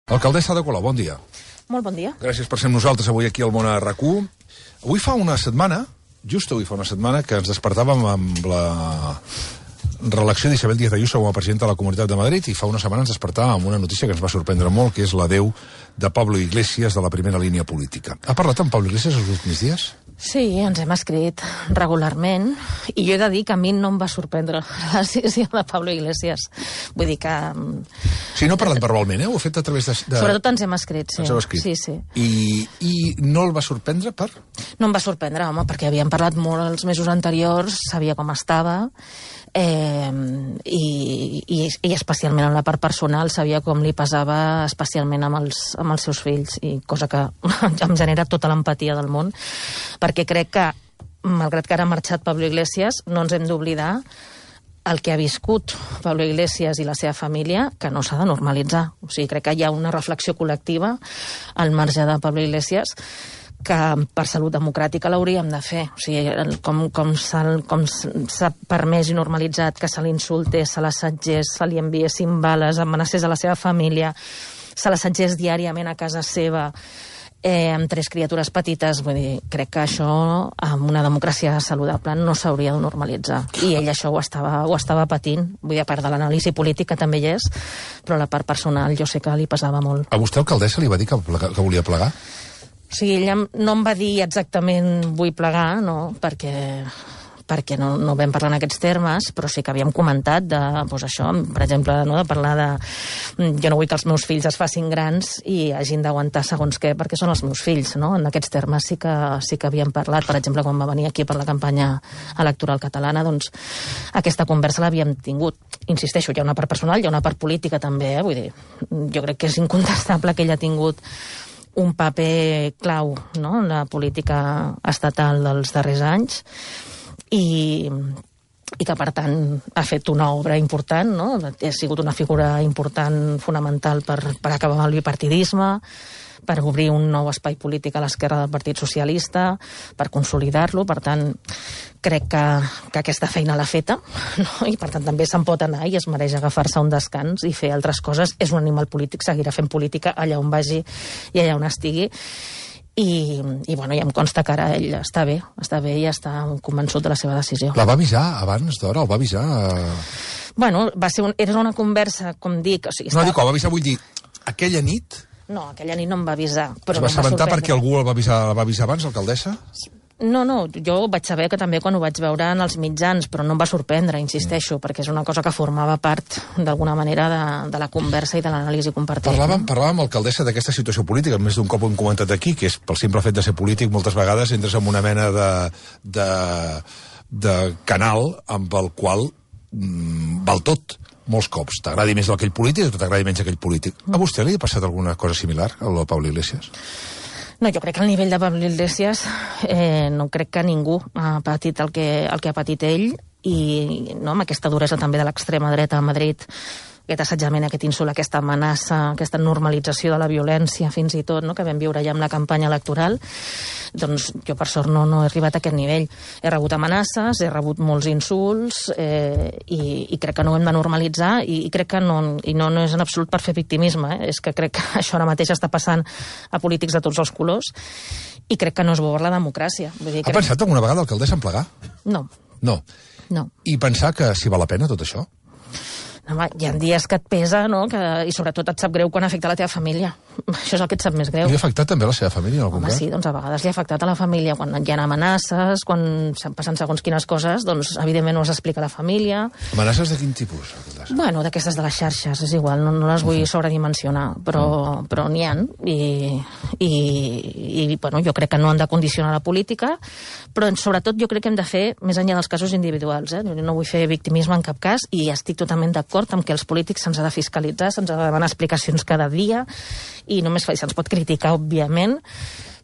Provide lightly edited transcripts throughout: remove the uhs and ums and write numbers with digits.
Alcaldessa Ada Colau, bon dia. Molt bon dia. Gràcies per ser amb nosaltres avui aquí al Món a RAC1. Avui fa una setmana, just avui fa una setmana, que ens despertàvem amb la reelecció d'Isabel Díaz Ayuso com a presidenta de la Comunitat de Madrid, i fa una setmana ens despertàvem amb una notícia que ens va sorprendre molt, que és l'adeu de Pablo Iglesias de la primera línia política. Ha parlat amb Pablo Iglesias els últims dies? Sí, ens hem escrit regularment, i jo he de dir que a mi no em va sorprendre la decisió de Pablo Iglesias. Vull dir que... Sí, no ha parlat verbalment, Ho ha fet a través de... Sobretot ens hem escrit, sí. Ens heu escrit. Sí, sí. I no el va sorprendre per...? No em va sorprendre, home, perquè havíem parlat molt els mesos anteriors, sabia com estava, i especialment en la part personal sabia com li pesava especialment amb els seus fills, i cosa que em genera tota l'empatia del món, perquè crec que, malgrat que ara ha marxat Pablo Iglesias, no ens hem d'oblidar el que ha viscut Pablo Iglesias i la seva família, que no s'ha de normalitzar. O sigui, crec que hi ha una reflexió col·lectiva al marge de Pablo Iglesias que per salut democràtica l'hauríem de fer. O sigui, com s'ha permès i normalitzat que se l'insultés, se l'assetgés, se li enviessin bales, amenacés a la seva família, se l'assetgés diàriament a casa seva, amb 3 criatures petites. Vull dir, crec que això, amb una democràcia saludable, no s'hauria de normalitzar. I ell això ho estava patint. Vull dir, a part de l'anàlisi política també hi és, però la part personal jo sé que li pesava molt. A vostè, alcaldessa, li va dir que volia plegar? O sigui, ella no em va dir exactament vull plegar, no, perquè no vam parlar en aquests termes, però sí que havíem comentat de, doncs això, per exemple, no, de parlar de... Jo no vull que els meus fills es facin grans i hagin d'aguantar segons què, perquè són els meus fills, no? En aquests termes sí que havíem parlat. Per exemple, quan va venir aquí per la campanya electoral catalana, doncs aquesta conversa l'havíem tingut. Insisteixo, hi ha una part personal, hi ha una part política també, Vull dir, jo crec que és incontestable que ella ha tingut un paper clau, no?, en la política estatal dels darrers anys, i que, per tant, ha fet una obra important, no? Ha sigut una figura important, fonamental per acabar amb el bipartidisme, per obrir un nou espai polític a l'esquerra del Partit Socialista, per consolidar-lo. Per tant, crec que aquesta feina l'ha feta, no? I per tant també se'n pot anar i es mereix agafar-se un descans i fer altres coses. És un animal polític, seguirà fent política allà on vagi i allà on estigui. I bueno, ja em consta que ara ell està bé i està convençut de la seva decisió. La va avisar abans d'hora? El va avisar? Bueno, era una conversa, com dic... O sigui, no, dic, el va avisar, vull dir, aquella nit... No, aquella nit no em va avisar. Es va assabentar perquè algú el va avisar abans, alcaldessa? No, jo vaig saber que també quan ho vaig veure en els mitjans, però no em va sorprendre, insisteixo, perquè és una cosa que formava part, d'alguna manera, de la conversa i de l'anàlisi compartida. Parlàvem, alcaldessa, d'aquesta situació política, més d'un cop ho hem comentat aquí, que és pel simple fet de ser polític, moltes vegades entres en una mena de canal amb el qual val tot. Molts cops. T'agradi més aquell polític o t'agradi menys aquell polític. A vostè li ha passat alguna cosa similar, al Pablo Iglesias? No, jo crec que al nivell de Pablo Iglesias no crec que ningú ha patit el que ha patit ell, i no, amb aquesta duresa també de l'extrema dreta a Madrid, aquest assetjament, aquest insult, aquesta amenaça, aquesta normalització de la violència, fins i tot, no?, que vam viure ja amb la campanya electoral. Doncs jo, per sort, no he arribat a aquest nivell. He rebut amenaces, he rebut molts insults, i crec que no ho hem de normalitzar, i crec que no és en absolut per fer victimisme, És que crec que això ara mateix està passant a polítics de tots els colors, i crec que no és bo per la democràcia. Vull dir, ha pensat alguna vegada, alcaldessa, en plegar? No. No. I pensar que si val la pena tot això? Home, hi ha dies que et pesa, no?, i sobretot et sap greu quan afecta la teva família. Això és el que et sap més greu. Li ha afectat també la seva família en algun cas? Home, sí, doncs a vegades li ha afectat a la família. Quan hi ha amenaces, quan passen segons quines coses, doncs evidentment no s'explica a la família. Amenaces de quin tipus? Bueno, d'aquestes de les xarxes, és igual, no les vull sobredimensionar, però n'hi ha. I bueno, jo crec que no han de condicionar la política, però sobretot jo crec que hem de fer més enllà dels casos individuals. No vull fer victimisme en cap cas, i estic totalment d'acord amb que els polítics se'ns ha de fiscalitzar, se'ns ha de demanar explicacions cada dia, i només se'ns pot criticar, òbviament,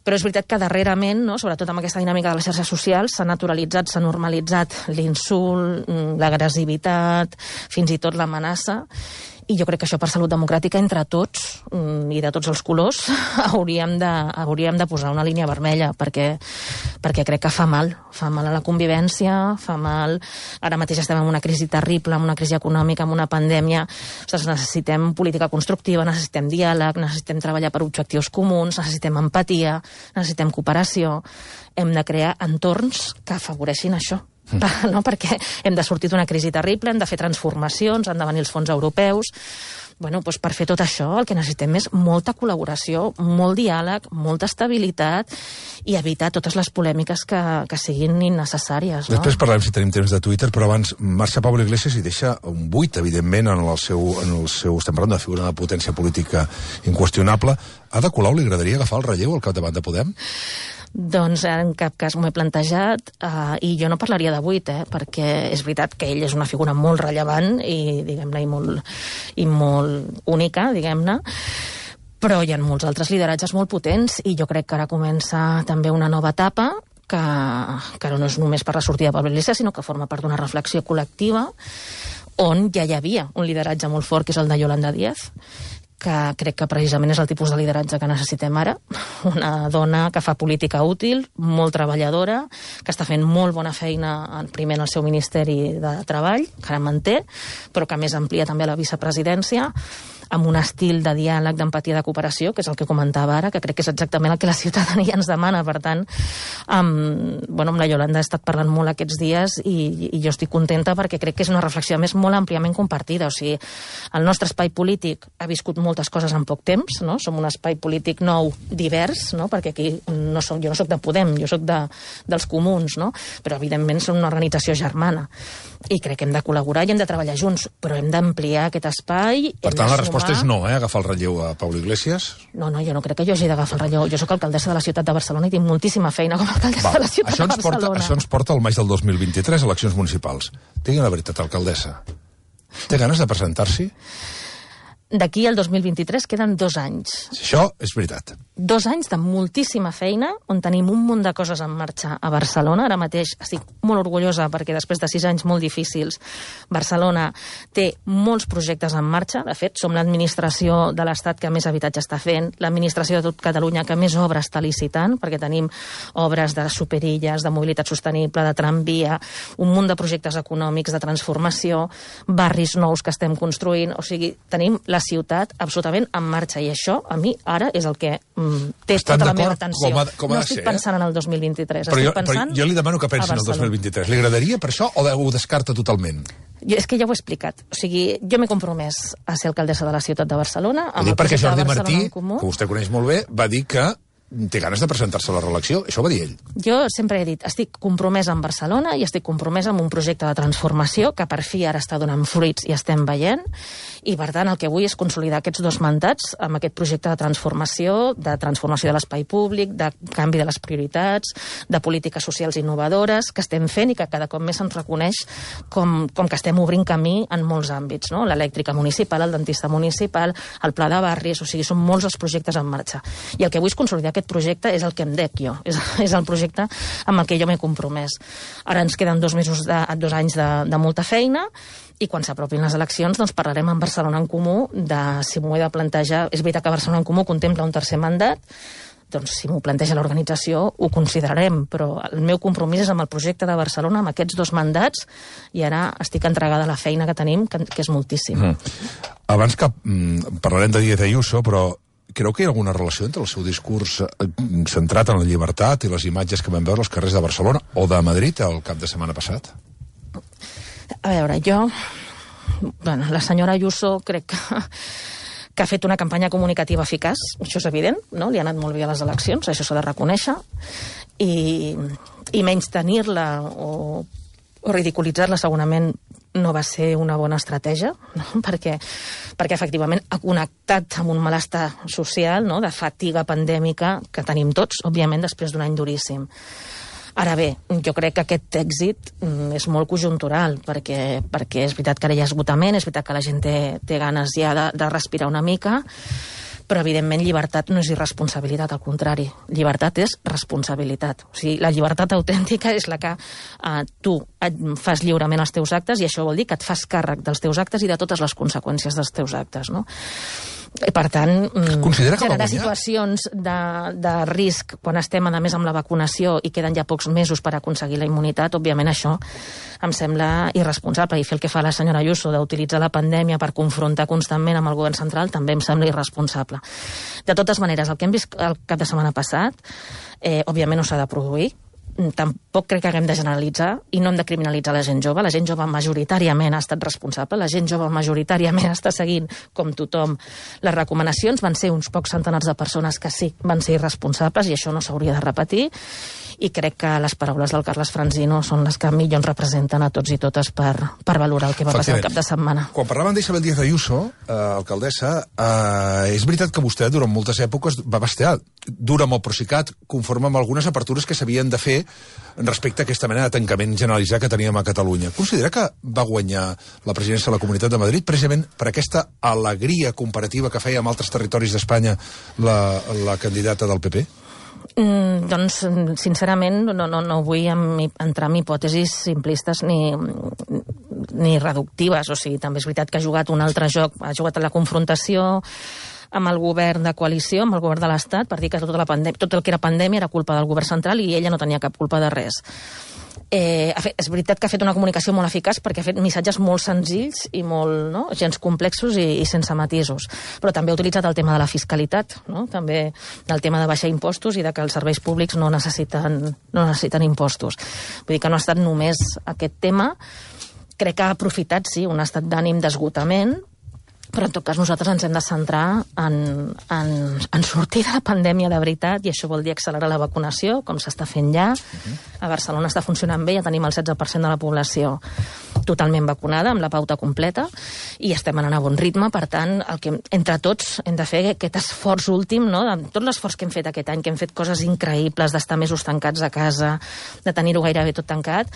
però és veritat que darrerament, no, sobretot amb aquesta dinàmica de les xarxes socials, s'ha naturalitzat, s'ha normalitzat l'insult, l'agressivitat, fins i tot l'amenaça, I jo crec que això per salut democràtica entre tots i de tots els colors hauríem de posar una línia vermella perquè crec que fa mal a la convivència, fa mal. Ara mateix estem en una crisi terrible, en una crisi econòmica, en una pandèmia. Ostres, necessitem política constructiva, necessitem diàleg, necessitem treballar per objectius comuns, necessitem empatia, necessitem cooperació. Hem de crear entorns que afavoreixin això. No? Perquè hem de sortir d'una crisi terrible, hem de fer transformacions, han de venir els fons europeus. Bueno, doncs per fer tot això el que necessitem és molta col·laboració, molt diàleg, molta estabilitat i evitar totes les polèmiques que siguin innecessàries. No? Després parlem, si tenim temps, de Twitter, però abans marxa Pablo Iglesias i deixa un buit, evidentment, en el seu estem parlant de figura de potència política inqüestionable. Ada Colau li agradaria agafar el relleu al capdavant de Podem? Doncs en cap cas m'ho he plantejat i jo no parlaria de buit, perquè és veritat que ell és una figura molt rellevant i, diguem-ne, i molt única, diguem-ne, però hi ha molts altres lideratges molt potents i jo crec que ara comença també una nova etapa que no és només per la sortida de Pablo Iglesias, sinó que forma part d'una reflexió col·lectiva on ja hi havia un lideratge molt fort, que és el de Yolanda Díaz, que crec que precisament és el tipus de lideratge que necessitem ara. Una dona que fa política útil, molt treballadora, que està fent molt bona feina primer en el seu Ministeri de Treball, que ara manté, però que a més amplia també a la vicepresidència, amb un estil de diàleg, d'empatia, de cooperació, que és el que comentava ara, que crec que és exactament el que la ciutadania ens demana. Per tant, amb la Yolanda he estat parlant molt aquests dies i jo estic contenta perquè crec que és una reflexió, a més, molt àmpliament compartida. O sigui, el nostre espai polític ha viscut moltes coses en poc temps, no? Som un espai polític nou, divers, no? Perquè aquí jo no soc de Podem, jo soc dels comuns, no? Però evidentment som una organització germana i crec que hem de col·laborar i hem de treballar junts, però hem d'ampliar aquest espai. Per tant, la resposta és no, agafar el relleu a Pablo Iglesias? No, jo no crec que jo hagi d'agafar el relleu. Jo sóc alcaldessa de la ciutat de Barcelona i tinc moltíssima feina com a alcaldessa de la ciutat de Barcelona. Això ens porta al maig del 2023, eleccions municipals. Digui la veritat, alcaldessa. Té ganes de presentar-s'hi? D'aquí al 2023 queden 2 anys. Això és veritat. 2 anys de moltíssima feina, on tenim un munt de coses en marxa a Barcelona. Ara mateix estic molt orgullosa perquè després de 6 anys molt difícils, Barcelona té molts projectes en marxa. De fet, som l'administració de l'Estat que més habitatge està fent, l'administració de tot Catalunya que més obres està licitant, perquè tenim obres de superilles, de mobilitat sostenible, de tramvia, un munt de projectes econòmics, de transformació, barris nous que estem construint. O sigui, tenim la ciutat absolutament en marxa i això, a mi, ara és el que té tota la meva atenció. No estic pensant en el 2023, estic pensant jo li demano que pensi en el 2023. Li agradaria per això o ho descarta totalment? És que ja ho he explicat. O sigui, jo m'he compromès a ser alcaldessa de la ciutat de Barcelona. Ho dic perquè Jordi Martí, que vostè coneix molt bé, va dir que té ganes de presentar-se a la reelecció. Això ho va dir ell. Jo sempre he dit, estic compromesa amb Barcelona i estic compromesa amb un projecte de transformació que per fi ara està donant fruits i estem veient. I, per tant, el que vull és consolidar aquests 2 mandats amb aquest projecte de transformació de l'espai públic, de canvi de les prioritats, de polítiques socials innovadores que estem fent i que cada cop més se'ns reconeix com que estem obrint camí en molts àmbits, no? L'elèctrica municipal, el dentista municipal, el pla de barris, o sigui, són molts els projectes en marxa. I el que vull és consolidar aquest projecte, és el que em dec jo, és el projecte amb el que jo m'he compromès. Ara ens queden 2 anys de molta feina i quan s'apropin les eleccions doncs parlarem amb Barcelona en Comú de si m'ho he de plantejar. És veritat que Barcelona en Comú contempla un 3è mandat, doncs si m'ho planteja l'organització ho considerarem, però el meu compromís és amb el projecte de Barcelona, amb aquests 2 mandats, i ara estic entregada a la feina que tenim, que és moltíssima. Abans que parlarem de Díaz Ayuso, però creu que hi ha alguna relació entre el seu discurs centrat en la llibertat i les imatges que vam veure als carrers de Barcelona o de Madrid el cap de setmana passat? A veure, la senyora Ayuso crec que ha fet una campanya comunicativa eficaç, això és evident, no? Li ha anat molt bé a les eleccions, això s'ha de reconèixer, i menystenir-la o ridiculitzar-la segurament no va ser una bona estratègia, no? perquè efectivament ha connectat amb un malestar social, no? De fatiga pandèmica que tenim tots, òbviament, després d'un any duríssim. Ara bé, jo crec que aquest èxit és molt conjuntural, perquè és veritat que ara hi ha esgotament, és veritat que la gent té ganes ja de respirar una mica, però evidentment llibertat no és irresponsabilitat, al contrari, llibertat és responsabilitat. O sigui, la llibertat autèntica és la que tu fas lliurement els teus actes, i això vol dir que et fas càrrec dels teus actes i de totes les conseqüències dels teus actes, no? Per tant, generar situacions de risc quan estem, a més, amb la vacunació i queden ja pocs mesos per aconseguir la immunitat, òbviament això em sembla irresponsable, i fer el que fa la senyora Ayuso d'utilitzar la pandèmia per confrontar constantment amb el govern central també em sembla irresponsable. De totes maneres, el que hem vist el cap de setmana passat, òbviament no s'ha de produir. Tampoc crec que haguem de generalitzar i no hem de criminalitzar la gent jove. La gent jove majoritàriament ha estat responsable, la gent jove majoritàriament està seguint, com tothom, les recomanacions. Van ser uns pocs centenars de persones que sí van ser irresponsables, i això no s'hauria de repetir, i crec que les paraules del Carles Franzino són les que millor ens representen a tots i totes per valorar el que va passar el cap de setmana. Quan parlaven d'Isabel Díaz Ayuso, alcaldessa, és veritat que vostè durant moltes èpoques va bastear dur amb el Procicat, conforme amb algunes apertures que s'havien de fer respecte a aquesta mena de tancament generalitzat que teníem a Catalunya. Considera que va guanyar la presidència de la Comunitat de Madrid precisament per aquesta alegria comparativa que feia amb altres territoris d'Espanya la candidata del PP? Doncs, sincerament, no vull entrar en hipòtesis simplistes ni reductives. O sigui, també és veritat que ha jugat un altre joc, ha jugat a la confrontació amb el govern de coalició, amb el govern de l'Estat, per dir que tot el que era pandèmia era culpa del govern central i ella no tenia cap culpa de res. És veritat que ha fet una comunicació molt eficaç perquè ha fet missatges molt senzills i molt, no, gens complexos i sense matisos, però també ha utilitzat el tema de la fiscalitat, no? També el tema de baixar impostos i de que els serveis públics no necessiten impostos. Vull dir que no ha estat només aquest tema. Crec que ha aprofitat, sí, un estat d'ànim d'esgotament, però en tot cas nosaltres ens hem de centrar en sortir de la pandèmia de veritat, i això vol dir accelerar la vacunació, com s'està fent ja. A Barcelona està funcionant bé, ja tenim el 16% de la població totalment vacunada, amb la pauta completa, i estem anant a bon ritme. Per tant, el que entre tots hem de fer aquest esforç últim, no? Tot l'esforç que hem fet aquest any, que hem fet coses increïbles, d'estar mesos tancats a casa, de tenir-ho gairebé tot tancat,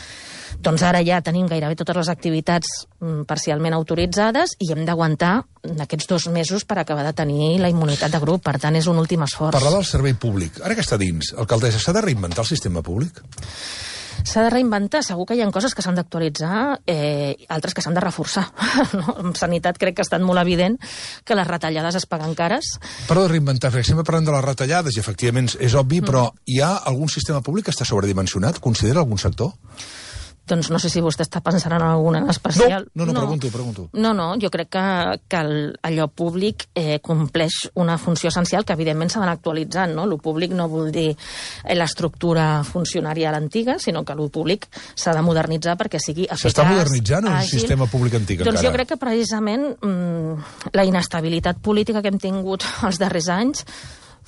doncs ara ja tenim gairebé totes les activitats parcialment autoritzades i hem d'aguantar aquests 2 mesos per acabar de tenir la immunitat de grup. Per tant, és un últim esforç. Parlar del servei públic. Ara que està dins, alcaldessa, s'ha de reinventar el sistema públic? S'ha de reinventar. Segur que hi ha coses que s'han d'actualitzar, altres que s'han de reforçar. No? En sanitat crec que ha estat molt evident que les retallades es paguen cares. Però de reinventar, perquè sempre parlem de les retallades i efectivament és obvi, però hi ha algun sistema públic que està sobredimensionat? Considera algun sector? Doncs no sé si vostè està pensant en alguna en especial. No, pregunto. No, jo crec que allò públic compleix una funció essencial que evidentment s'ha d'anar actualitzant, no? Lo públic no vol dir l'estructura funcionària a l'antiga, sinó que lo públic s'ha de modernitzar perquè sigui eficaç. S'està modernitzant un sistema públic antic encara? Doncs jo crec que precisament la inestabilitat política que hem tingut els darrers anys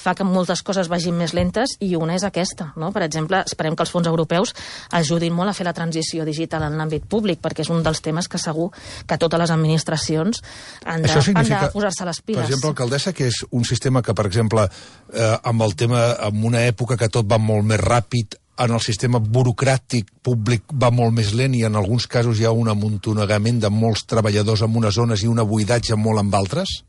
fa que moltes coses vagin més lentes, i una és aquesta, no? Per exemple, esperem que els fons europeus ajudin molt a fer la transició digital en l'àmbit públic, perquè és un dels temes que segur que totes les administracions han de posar-se les piles. Per exemple, alcaldessa, que és un sistema que, per exemple, amb una època que tot va molt més ràpid, en el sistema burocràtic públic va molt més lent i en alguns casos hi ha un amuntonegament de molts treballadors en unes zones i un buidatge molt amb altres?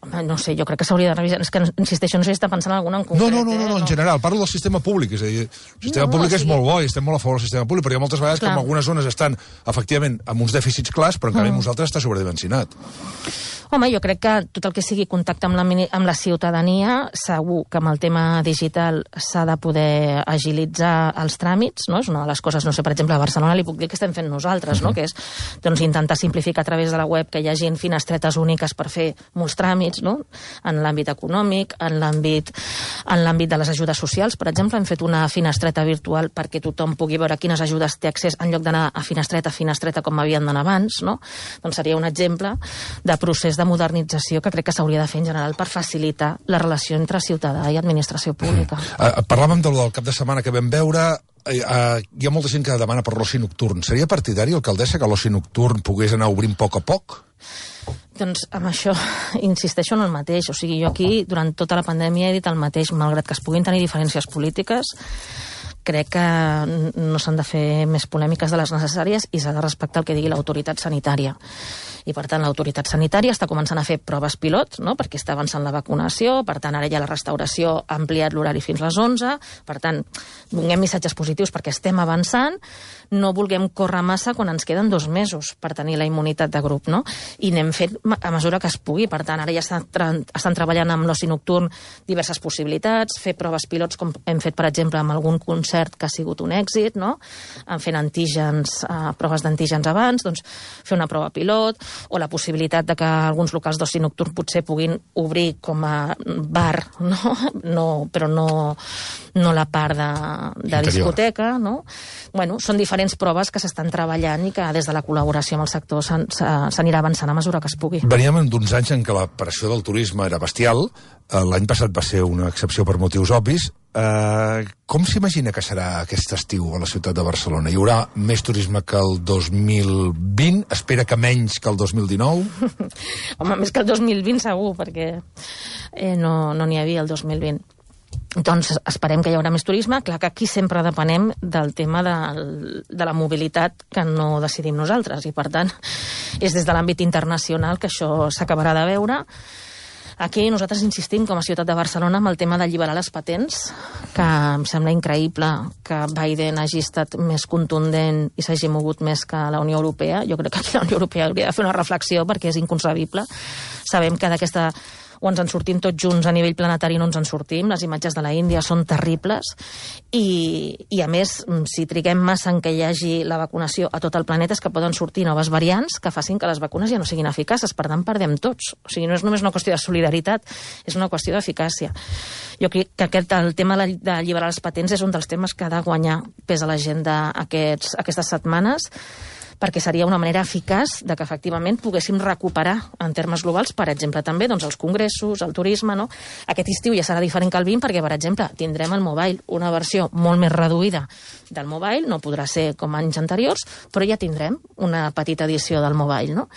Home, no sé, jo crec que s'hauria de revisar. És que, insisteixo, no sé si està pensant en alguna en concret. No, en general. Parlo del sistema públic. És a dir, el sistema públic és molt bo i estem molt a favor del sistema públic, però hi ha moltes vegades que en algunes zones estan, efectivament, amb uns dèficits clars, però en canvi nosaltres està sobredimensionat. Home, jo crec que tot el que sigui contacte amb la ciutadania, segur que amb el tema digital s'ha de poder agilitzar els tràmits, no? És una de les coses, no sé, per exemple, a Barcelona li puc dir que estem fent nosaltres, no? Que és intentar simplificar a través de la web que hi hagi finestretes úniques per fer molts tràmits, no? En l'àmbit econòmic, en l'àmbit de les ajudes socials, per exemple, hem fet una finestreta virtual perquè tothom pugui veure quines ajudes té accés en lloc d'anar a finestreta com havien d'anar abans, no? Doncs seria un exemple de procés de modernització que crec que s'hauria de fer en general per facilitar la relació entre ciutadà i administració pública. Parlàvem del cap de setmana que vam veure. Hi ha molta gent que demana per l'oci nocturn. Seria partidari, alcaldessa, que l'oci nocturn pogués anar obrint a poc? Doncs amb això insisteixo en el mateix. O sigui, jo aquí, durant tota la pandèmia, he dit el mateix. Malgrat que es puguin tenir diferències polítiques, crec que no s'han de fer més polèmiques de les necessàries i s'ha de respectar el que digui l'autoritat sanitària. I, per tant, l'autoritat sanitària està començant a fer proves pilot, no?, perquè està avançant la vacunació, per tant, ara ja la restauració ha ampliat l'horari fins a les 11, per tant, donem missatges positius perquè estem avançant, no vulguem córrer massa quan ens queden 2 mesos per tenir la immunitat de grup, no? I anem fent a mesura que es pugui, per tant, ara ja estan treballant amb l'oci nocturn diverses possibilitats, fer proves pilots com hem fet, per exemple, amb algun concert que ha sigut un èxit, no?, fent antígens, proves d'antígens abans, doncs fer una prova pilot, o la possibilitat de que alguns locals d'oci nocturn potser puguin obrir com a bar, no? Però no la part de discoteca, no? Bueno, són diferents proves que s'estan treballant i que des de la col·laboració amb el sector s'anirà avançant a mesura que es pugui. Veníem d'uns anys en què la pressió del turisme era bestial. L'any passat va ser una excepció per motius obvis. Com s'imagina que serà aquest estiu a la ciutat de Barcelona? Hi haurà més turisme que el 2020? Espera que menys que el 2019? Home, més que el 2020 segur, perquè no n'hi havia el 2020. Doncs esperem que hi haurà més turisme. Clar que aquí sempre depenem del tema de la mobilitat que no decidim nosaltres, i per tant és des de l'àmbit internacional que això s'acabarà de veure. Aquí nosaltres insistim com a ciutat de Barcelona amb el tema d'alliberar les patents, que em sembla increïble que Biden hagi estat més contundent i s'hagi mogut més que la Unió Europea. Jo crec que aquí la Unió Europea hauria de fer una reflexió perquè és inconcebible. Sabem que d'aquesta o ens en sortim tots junts a nivell planetari, no ens en sortim. Les imatges de la Índia són terribles i a més, si triguem massa en què hi hagi la vacunació a tot el planeta, és que poden sortir noves variants que facin que les vacunes ja no siguin eficaces. Per tant, perdem tots. O sigui, no és només una qüestió de solidaritat, és una qüestió d'eficàcia. Jo crec que el tema d'alliberar les patents és un dels temes que ha de guanyar pes a l'agenda aquestes setmanes, perquè seria una manera eficaç de que efectivament poguéssim recuperar en termes globals, per exemple, també doncs, els congressos, el turisme, no? Aquest estiu ja serà diferent que el 20 perquè, per exemple, tindrem el Mobile, una versió molt més reduïda del Mobile, no podrà ser com anys anteriors, però ja tindrem una petita edició del Mobile, no?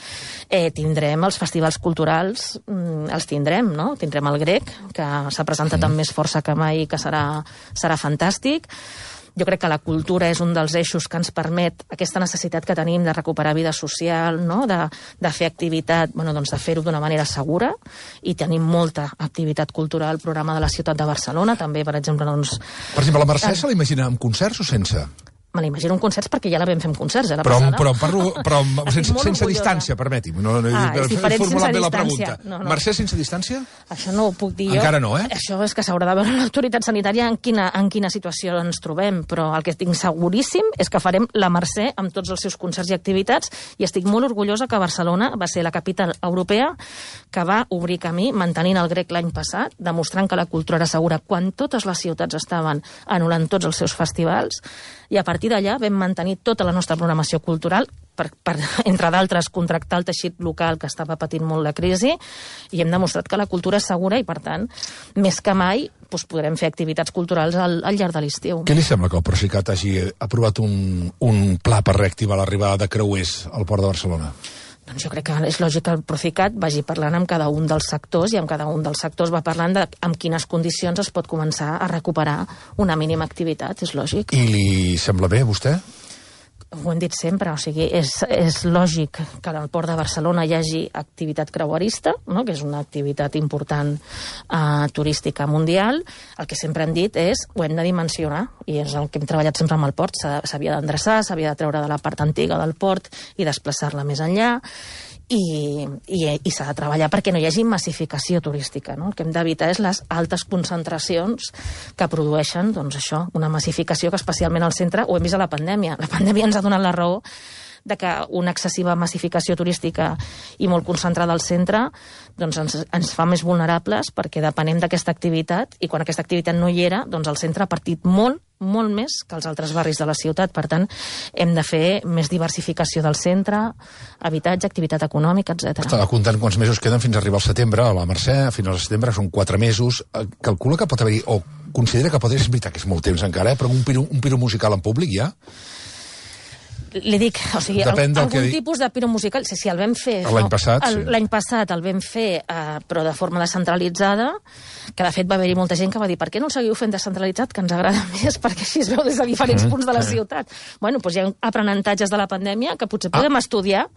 Tindrem els festivals culturals, els tindrem, no? Tindrem el Grec, que s'ha presentat amb més força que mai, que serà fantàstic. Jo crec que la cultura és un dels eixos que ens permet aquesta necessitat que tenim de recuperar vida social, no? de fer activitat, doncs de fer-ho d'una manera segura, i tenim molta activitat cultural al programa de la ciutat de Barcelona, també, per exemple, doncs... Per exemple, la Mercè se l'imagina amb concerts o sense? Me l'imagino en concerts perquè ja la vam fer en concerts, la passada. Però sense distància, permeti'm. És diferent sense distància. Mercè sense distància? Això no ho puc dir jo. Encara no, eh? Això és que s'haurà de veure l'autoritat sanitària en quina situació ens trobem, però el que estic seguríssim és que farem la Mercè amb tots els seus concerts i activitats, i estic molt orgullosa que Barcelona va ser la capital europea que va obrir camí mantenint el Grec l'any passat, demostrant que la cultura era segura quan totes les ciutats estaven anul·lant tots els seus festivals, i a partir d'allà vam mantenir tota la nostra programació cultural per entre d'altres, contractar el teixit local que estava patint molt la crisi, i hem demostrat que la cultura és segura i, per tant, més que mai podrem fer activitats culturals al llarg de l'estiu. Què li sembla que el Procicat hagi aprovat un pla per reactivar l'arribada de creuers al Port de Barcelona? Doncs jo crec que és lògic que el Procicat vagi parlant amb cada un dels sectors, i amb cada un dels sectors va parlant de amb quines condicions es pot començar a recuperar una mínima activitat, és lògic. I li sembla bé, a vostè? Ho hem dit sempre, o sigui, és lògic que al Port de Barcelona hi hagi activitat creuerista, no? Que és una activitat important turística mundial. El que sempre hem dit és, ho hem de dimensionar, i és el que hem treballat sempre amb el port, s'havia d'endreçar, s'havia de treure de la part antiga del port i desplaçar-la més enllà, i s'ha de treballar perquè no hi hagi massificació turística, no? El que hem d'evitar és les altes concentracions que produeixen, doncs això, una massificació que especialment al centre ho hem vist a la pandèmia. La pandèmia ens ha donat la raó de que una excessiva massificació turística i molt concentrada al centre doncs ens fa més vulnerables, perquè depenem d'aquesta activitat, i quan aquesta activitat no hi era, doncs el centre ha partit molt més que els altres barris de la ciutat. Per tant, hem de fer més diversificació del centre, habitatge, activitat econòmica, etc. Estava comptant quants mesos queden fins a arribar al setembre, a la Mercè, a finals de setembre, són 4 mesos. Calcula que pot haver-hi, o considera que pot haver, és veritat que és molt temps encara, però un piro musical en públic ja? Li dic, o sigui, algun tipus de piro musical, si el vam fer... L'any passat, sí. L'any passat el vam fer, però de forma descentralitzada, que de fet va haver-hi molta gent que va dir, per què no el seguiu fent descentralitzat, que ens agrada més, perquè així es veu des de diferents punts de la ciutat. Bueno, doncs hi ha aprenentatges de la pandèmia que potser podem estudiar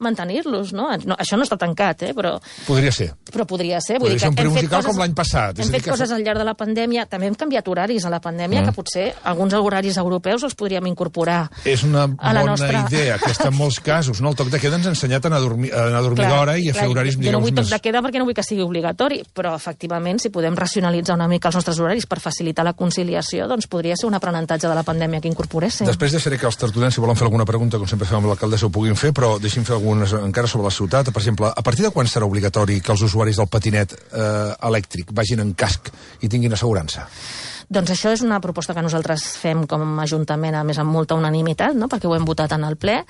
mantenir-los, no? Això no està tancat, però... Podria ser. Però podria ser. Podria ser un musical com l'any passat. Hem fet coses al llarg de la pandèmia. També hem canviat horaris a la pandèmia, que potser alguns horaris europeus els podríem incorporar. És una bona idea, aquesta en molts casos. No? El toc de queda ens ha ensenyat a anar a dormir d'hora i a fer horaris millors. Jo no vull toc de queda perquè no vull que sigui obligatori, però efectivament, si podem racionalitzar una mica els nostres horaris per facilitar la conciliació, doncs podria ser un aprenentatge de la pandèmia que incorporéssim. Després deixaré que els tertulians, si volen fer alguna pregunta, com sempre fem amb l'alcaldessa, ho puguin fer, però deixi'm fer algunes encara sobre la ciutat. Per exemple, a partir de quan serà obligatori que els usuaris del patinet elèctric vagin en casc i tinguin assegurança? Doncs això és una proposta que nosaltres fem com a Ajuntament, a més amb molta unanimitat, no? Perquè ho hem votat en el ple.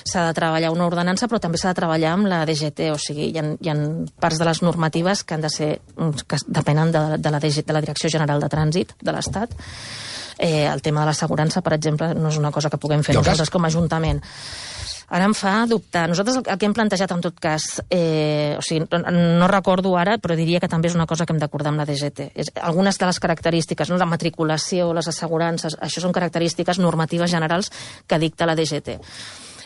S'ha de treballar una ordenança, però també s'ha de treballar amb la DGT, o sigui, hi ha parts de les normatives que han de ser, que depenen de la Direcció General de Trànsit de l'Estat. El tema de l'assegurança, per exemple, no és una cosa que puguem fer nosaltres com a Ajuntament. Ara em fa dubtar. Nosaltres el que hem plantejat, en tot cas, o sigui, no recordo ara, però diria que també és una cosa que hem d'acordar amb la DGT. Algunes de les característiques, no, la matriculació, les assegurances, això són característiques normatives generals que dicta la DGT.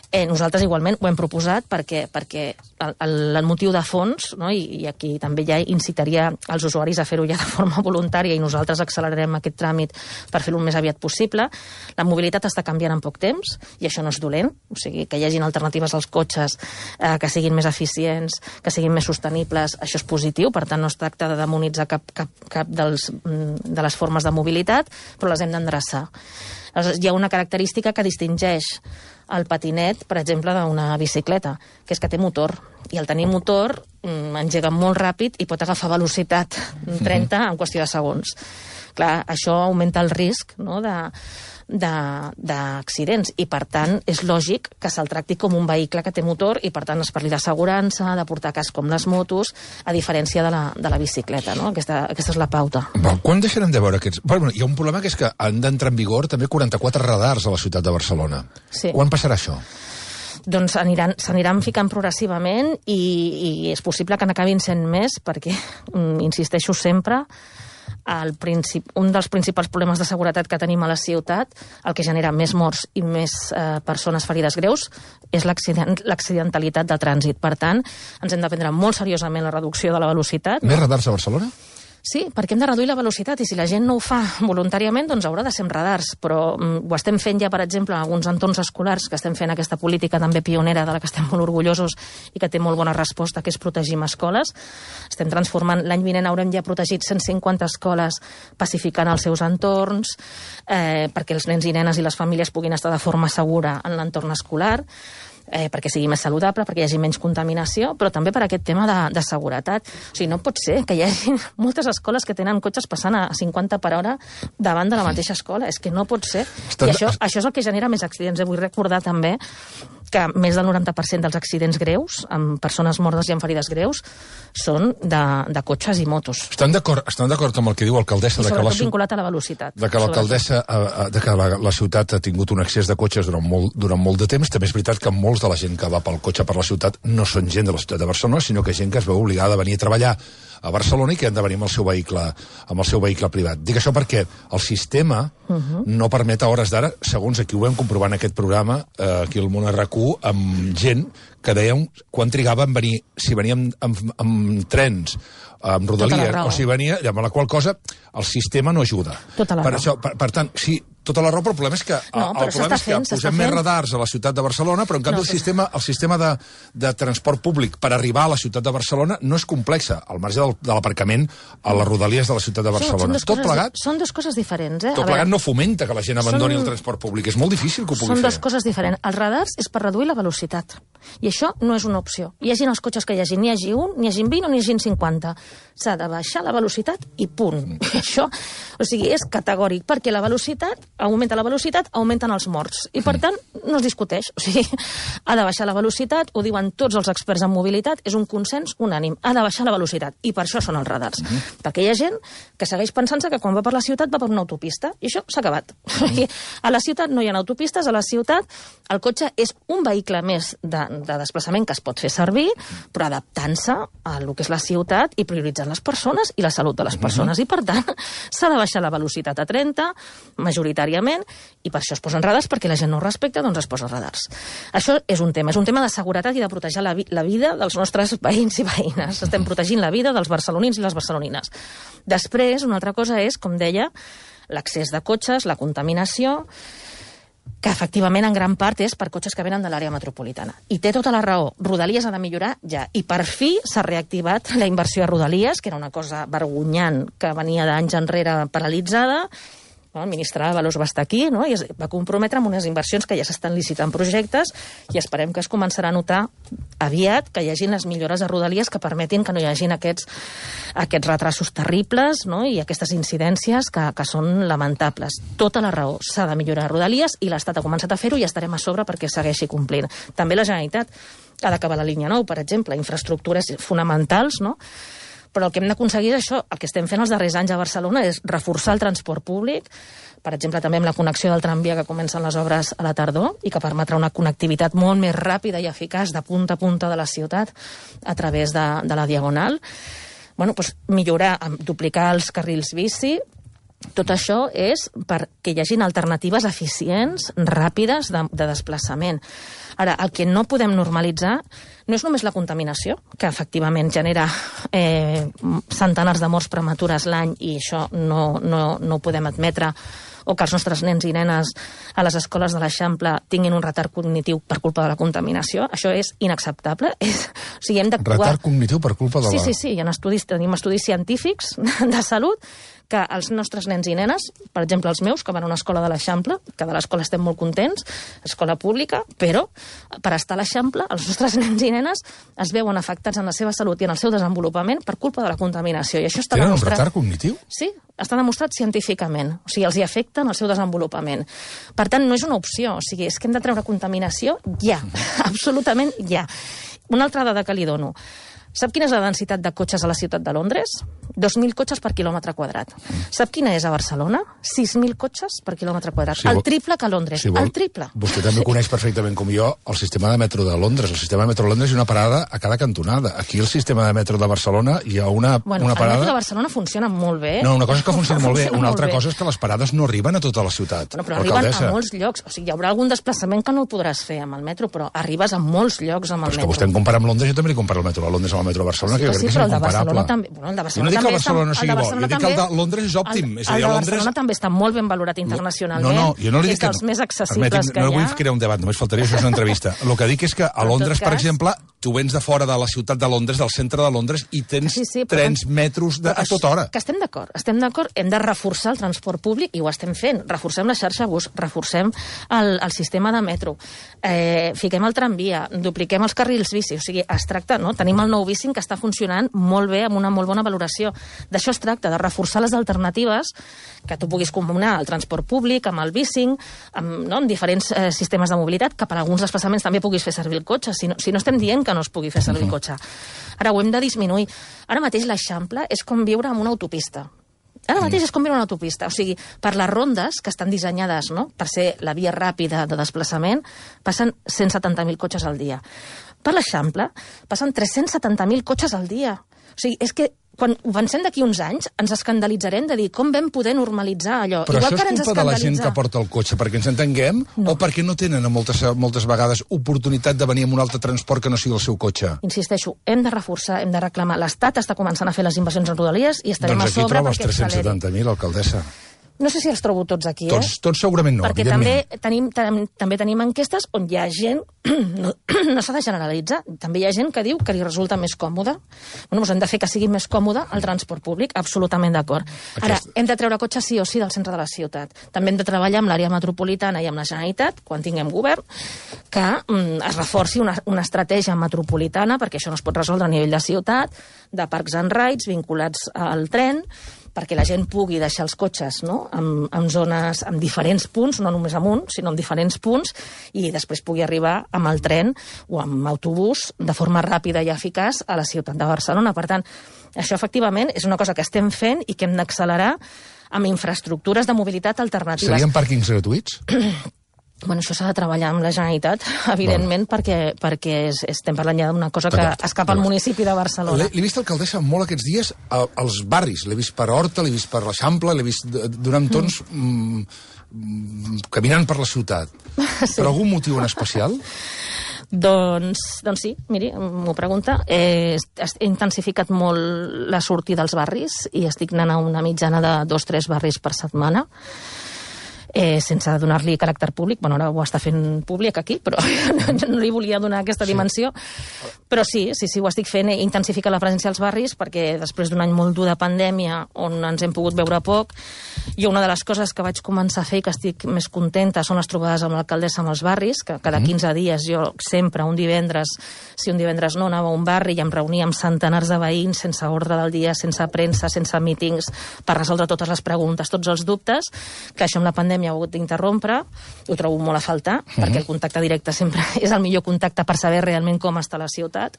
Nosaltres igualment ho hem proposat perquè el motiu de fons, no, i aquí també ja incitaria els usuaris a fer-ho ja de forma voluntària i nosaltres accelerarem aquest tràmit per fer-ho el més aviat possible. La mobilitat està canviant en poc temps i això no és dolent, o sigui, que hi hagin alternatives als cotxes que siguin més eficients, que siguin més sostenibles, això és positiu, per tant no es tracta de demonitzar cap de les formes de mobilitat, però les hem d'endreçar. Hi ha una característica que distingeix el patinet, per exemple, d'una bicicleta, que és que té motor. I al tenir motor engega molt ràpid i pot agafar velocitat 30 en qüestió de segons. Clar, això augmenta el risc, no, d'accidents i, per tant, és lògic que se'l tracti com un vehicle que té motor i, per tant, es parli d'assegurança, de portar casc com les motos, a diferència de la bicicleta, no? Aquesta és la pauta. Quan deixarem de veure aquests... Bueno, hi ha un problema que és que han d'entrar en vigor també 44 radars a la ciutat de Barcelona. Sí. Quan passarà això? Doncs s'aniran ficant progressivament i és possible que n'acabin sent més perquè, insisteixo sempre, un dels principals problemes de seguretat que tenim a la ciutat, el que genera més morts i més persones ferides greus, és l'accidentalitat de trànsit. Per tant, ens hem de prendre molt seriosament la reducció de la velocitat. Més radars a Barcelona? Sí, perquè hem de reduir la velocitat i si la gent no ho fa voluntàriament, doncs haurà de ser amb radars, però ho estem fent ja, per exemple, en alguns entorns escolars, que estem fent aquesta política també pionera de la que estem molt orgullosos i que té molt bona resposta, que és protegir escoles. Estem transformant, l'any vinent haurem ja protegit 150 escoles pacificant els seus entorns, perquè els nens i nenes i les famílies puguin estar de forma segura en l'entorn escolar, perquè sigui més saludable, perquè hi hagi menys contaminació, però també per aquest tema de seguretat. O sigui, no pot ser que hi hagi moltes escoles que tenen cotxes passant a 50 per hora davant de la mateixa escola. És que no pot ser. I això és el que genera més accidents. Vull recordar també que més del 90% dels accidents greus, amb persones mortes i amb ferides greus, són de cotxes i motos. Estan d'acord amb el que diu l'alcaldessa? I sobretot vinculat a la velocitat. De que la ciutat ha tingut un excés de cotxes durant molt de temps. També és veritat que molts de la gent que va pel cotxe per la ciutat no són gent de la ciutat de Barcelona, sinó que gent que es veu obligada a venir a treballar a Barcelona i que han de venir amb el seu vehicle privat. Dic això perquè el sistema no permet a hores d'ara, segons aquí ho vam comprovar en aquest programa, aquí al Món RQ, amb gent que dèiem quan trigava en venir, si veníem amb trens, amb rodalies, o si venia, amb la qual cosa el sistema no ajuda. Per tant, sí, tota la raó, però el problema és que posem més radars a la ciutat de Barcelona, però en canvi el sistema de transport públic per arribar a la ciutat de Barcelona no és complexa, al marge de l'aparcament a les rodalies de la ciutat de Barcelona. Tot plegat... Són dues coses diferents, Tot plegat no fomenta que la gent abandoni el transport públic. És molt difícil que ho pugui fer. Són dues coses diferents. Els radars és per reduir la velocitat. I això no és una opció. Hi hagin els cotxes que hi hagi, n'hi hagi un, n'hi hagin 20 o n'hi hagin 50. S'ha de baixar la velocitat i punt. Això, o sigui, és categòric, perquè la velocitat, augmenten els morts. I, per tant, no es discuteix. O sigui, ha de baixar la velocitat, ho diuen tots els experts en mobilitat, és un consens unànim. Ha de baixar la velocitat. I per això són els radars. Perquè hi ha gent que segueix pensant-se que quan va per la ciutat va per una autopista. I això s'ha acabat. A la ciutat no hi ha autopistes, a la ciutat el cotxe és un vehicle més de desplaçament que es pot fer servir, però adaptant-se a el que és la ciutat i prioritzant les persones i la salut de les persones. I, per tant, s'ha de baixar la velocitat a 30, majoritàriament voluntàriament, i per això es posen radars, perquè la gent no ho respecta, doncs es posen radars. Això és un tema de seguretat i de protegir la vida dels nostres veïns i veïnes. Estem protegint la vida dels barcelonins i les barcelonines. Després, una altra cosa és, com deia, l'accés de cotxes, la contaminació, que efectivament en gran part és per cotxes que venen de l'àrea metropolitana. I té tota la raó. Rodalies ha de millorar ja. I per fi s'ha reactivat la inversió a Rodalies, que era una cosa vergonyant que venia d'anys enrere paralitzada. El ministre Ábalos va estar aquí, no? I es va comprometre amb unes inversions que ja s'estan licitant projectes i esperem que es començarà a notar aviat que hi hagin les millores a Rodalies que permetin que no hi hagin aquests retrasos terribles, no? I aquestes incidències que són lamentables. Tota la raó. S'ha de millorar a Rodalies i l'Estat ha començat a fer-ho i estarem a sobre perquè segueixi complint. També la Generalitat ha d'acabar la línia 9, per exemple, infraestructures fonamentals, no? Però el que hem d'aconseguir és això. El que estem fent els darrers anys a Barcelona és reforçar el transport públic, per exemple, també amb la connexió del tramvia que comencen les obres a la tardor i que permetrà una connectivitat molt més ràpida i eficaç de punta a punta de la ciutat a través de la Diagonal. Bueno, doncs millorar, duplicar els carrils bici. Tot això és perquè hi hagin alternatives eficients, ràpides, de desplaçament. Ara, el que no podem normalitzar no és només la contaminació, que efectivament genera centenars de morts prematures l'any i això no ho podem admetre, o que els nostres nens i nenes a les escoles de l'Eixample tinguin un retard cognitiu per culpa de la contaminació. Això és inacceptable. O sigui, hem d'actuar... Retard cognitiu per culpa de la... Sí, tenim estudis científics de salut que els nostres nens i nenes, per exemple els meus, que van a una escola de l'Eixample, que de l'escola estem molt contents, escola pública, però per estar a l'Eixample els nostres nens i nenes es veuen afectats en la seva salut i en el seu desenvolupament per culpa de la contaminació. I això està demostrat... Tenen un retard cognitiu? Sí, està demostrat científicament. O sigui, els hi afecta en el seu desenvolupament. Per tant, no és una opció. O sigui, és que hem de treure contaminació ja. Absolutament ja. Una altra dada que li dono. Sap quina és la densitat de cotxes a la ciutat de Londres? 2.000 cotxes per quilòmetre quadrat. Sap quina és a Barcelona? 6.000 cotxes per quilòmetre quadrat. El triple que a Londres. El triple. Vostè també coneix perfectament com jo el sistema de metro de Londres. El sistema de metro de Londres hi ha una parada a cada cantonada. Aquí el sistema de metro de Barcelona hi ha una parada... El metro de Barcelona funciona molt bé. No, una cosa és que funciona molt bé. Una altra cosa és que les parades no arriben a tota la ciutat. Bueno, però arriben a molts llocs. O sigui, hi haurà algun desplaçament que no el podràs fer amb el metro, però arribes a molts llocs amb el metro. Però és que vostè em compara amb Londres, jo també li comparo el metro de Londres amb el metro de Barcelona, que jo crec que és incomparable. Bueno, el de Barcelona jo no dic que Barcelona sigui bo, jo dic que el de Londres és òptim. El de Barcelona també està molt ben valorat internacionalment. No, jo no li dic que... És dels més accessibles que hi ha. No vull crear un debat, només faltaria, això és una entrevista. El que dic és que a Londres, per exemple, tu vens de fora de la ciutat de Londres, del centre de Londres, i tens trens, metros a tota hora. Que estem d'acord, hem de reforçar el transport públic, i ho estem fent. Reforcem la xarxa bus, reforcem el sistema de metro, fiquem el tramvia, dupliquem els carrils bici, o sigui, es tracta, no? Tenim el nou bicing que està funcionant molt bé, amb una molt bona valoració. D'això es tracta, de reforçar les alternatives, que tu puguis combinar el transport públic amb el bicing, amb diferents sistemes de mobilitat, que per alguns desplaçaments també puguis fer servir el cotxe, si no estem dient que no es pugui fer servir el cotxe. Ara ho hem de disminuir. Ara mateix l'Eixample és com viure en una autopista. Ara mateix és com viure en una autopista. O sigui, per les rondes que estan dissenyades, no?, per ser la via ràpida de desplaçament, passen 170.000 cotxes al dia. Per l'Eixample passen 370.000 cotxes al dia. O sigui, és que quan ho pensem d'aquí uns anys, ens escandalitzarem de dir com vam poder normalitzar allò. Però igual això és culpa de la gent que porta el cotxe, perquè ens entenguem, o perquè no tenen moltes vegades oportunitat de venir amb un altre transport que no sigui el seu cotxe? Insisteixo, hem de reforçar, hem de reclamar. L'Estat està començant a fer les inversions en Rodalies i estarem a sobre perquè acceleri. Doncs aquí troba els 370.000, alcaldessa. No sé si els trobo tots aquí, Tots segurament no, perquè també tenim enquestes on hi ha gent, no s'ha de generalitzar, també hi ha gent que diu que li resulta més còmode. Bueno, doncs hem de fer que sigui més còmode el transport públic, absolutament d'acord. Ara, hem de treure cotxes sí o sí del centre de la ciutat. També hem de treballar amb l'àrea metropolitana i amb la Generalitat, quan tinguem govern, que es reforci una estratègia metropolitana, perquè això no es pot resoldre a nivell de ciutat, de parcs and rides vinculats al tren, perquè la gent pugui deixar els cotxes, no?, en zones, en diferents punts, no només en un, sinó en diferents punts, i després pugui arribar amb el tren o amb autobús de forma ràpida i eficaç a la ciutat de Barcelona. Per tant, això efectivament és una cosa que estem fent i que hem d'accelerar amb infraestructures de mobilitat alternatives. Serien pàrquings gratuïts? Bueno, això s'ha de treballar amb la Generalitat, evidentment, perquè estem parlant ja d'una cosa que escapa al municipi de Barcelona. L'he vist alcaldessa molt aquests dies als barris. L'he vist per Horta, l'he vist per l'Eixample, l'he vist donant tons caminant per la ciutat. Sí. Per algun motiu en especial? Doncs sí, miri, m'ho pregunta. He intensificat molt la sortida als barris i estic anant a una mitjana de 2-3 barris per setmana. Sense donar-li caràcter públic. Bueno, ara ho està fent públic aquí, però no li volia donar aquesta dimensió. Però sí, ho estic fent. He intensificat la presència als barris perquè després d'un any molt dur de pandèmia on ens hem pogut veure poc, i una de les coses que vaig començar a fer i que estic més contenta són les trobades amb l'alcaldessa amb els barris, que cada 15 dies jo sempre, un divendres no, anava a un barri i em reunia amb centenars de veïns sense ordre del dia, sense premsa, sense mítings, per resoldre totes les preguntes, tots els dubtes, que això amb la pandèmia ha hagut d'interrompre. Ho trobo molt a faltar, perquè el contacte directe sempre és el millor contacte per saber realment com està la ciutat.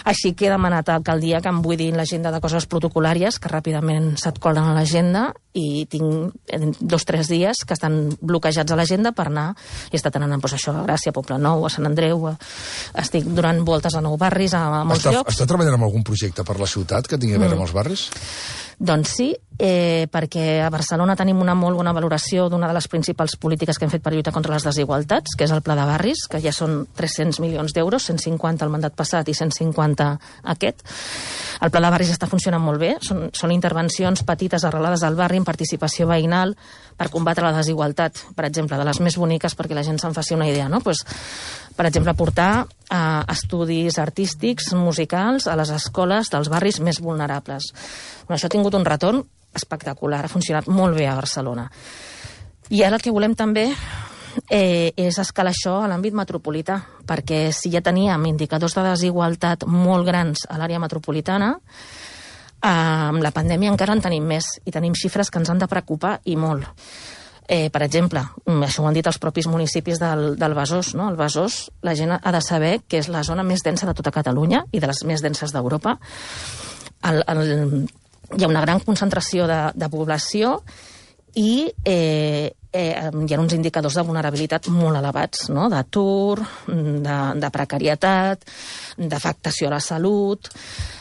Així que he demanat a l'alcaldia que em buidin l'agenda de coses protocolàries, que ràpidament se't colen a l'agenda, i tinc 2-3 dies que estan bloquejats a l'agenda per anar. He estat anant doncs, a Gràcia, a Poblenou, a Sant Andreu, estic donant voltes a 9 barris, a molts llocs. Està treballant en algun projecte per la ciutat que tingui a veure amb els barris? Doncs sí, perquè a Barcelona tenim una molt bona valoració d'una de les principals polítiques que hem fet per lluitar contra les desigualtats, que és el Pla de Barris, que ja són 300 milions d'euros, 150 el mandat passat i 150 aquest. El Pla de Barris està funcionant molt bé, són intervencions petites arrelades al barri, amb participació veïnal, per combatre la desigualtat, per exemple, de les més boniques, perquè la gent se'n faci una idea, no? Per exemple, portar estudis artístics, musicals, a les escoles dels barris més vulnerables. Això ha tingut un retorn espectacular, ha funcionat molt bé a Barcelona. I ara el que volem també és escalar això a l'àmbit metropolità, perquè si ja teníem indicadors de desigualtat molt grans a l'àrea metropolitana, amb la pandèmia encara en tenim més, i tenim xifres que ens han de preocupar i molt. Per exemple, això ho han dit els propis municipis del Besòs, no? El Besòs, la gent ha de saber que és la zona més densa de tota Catalunya i de les més denses d'Europa. Hi ha una gran concentració de població i hi ha uns indicadors de vulnerabilitat molt elevats, no? D'atur, de precarietat, d'afectació a la salut,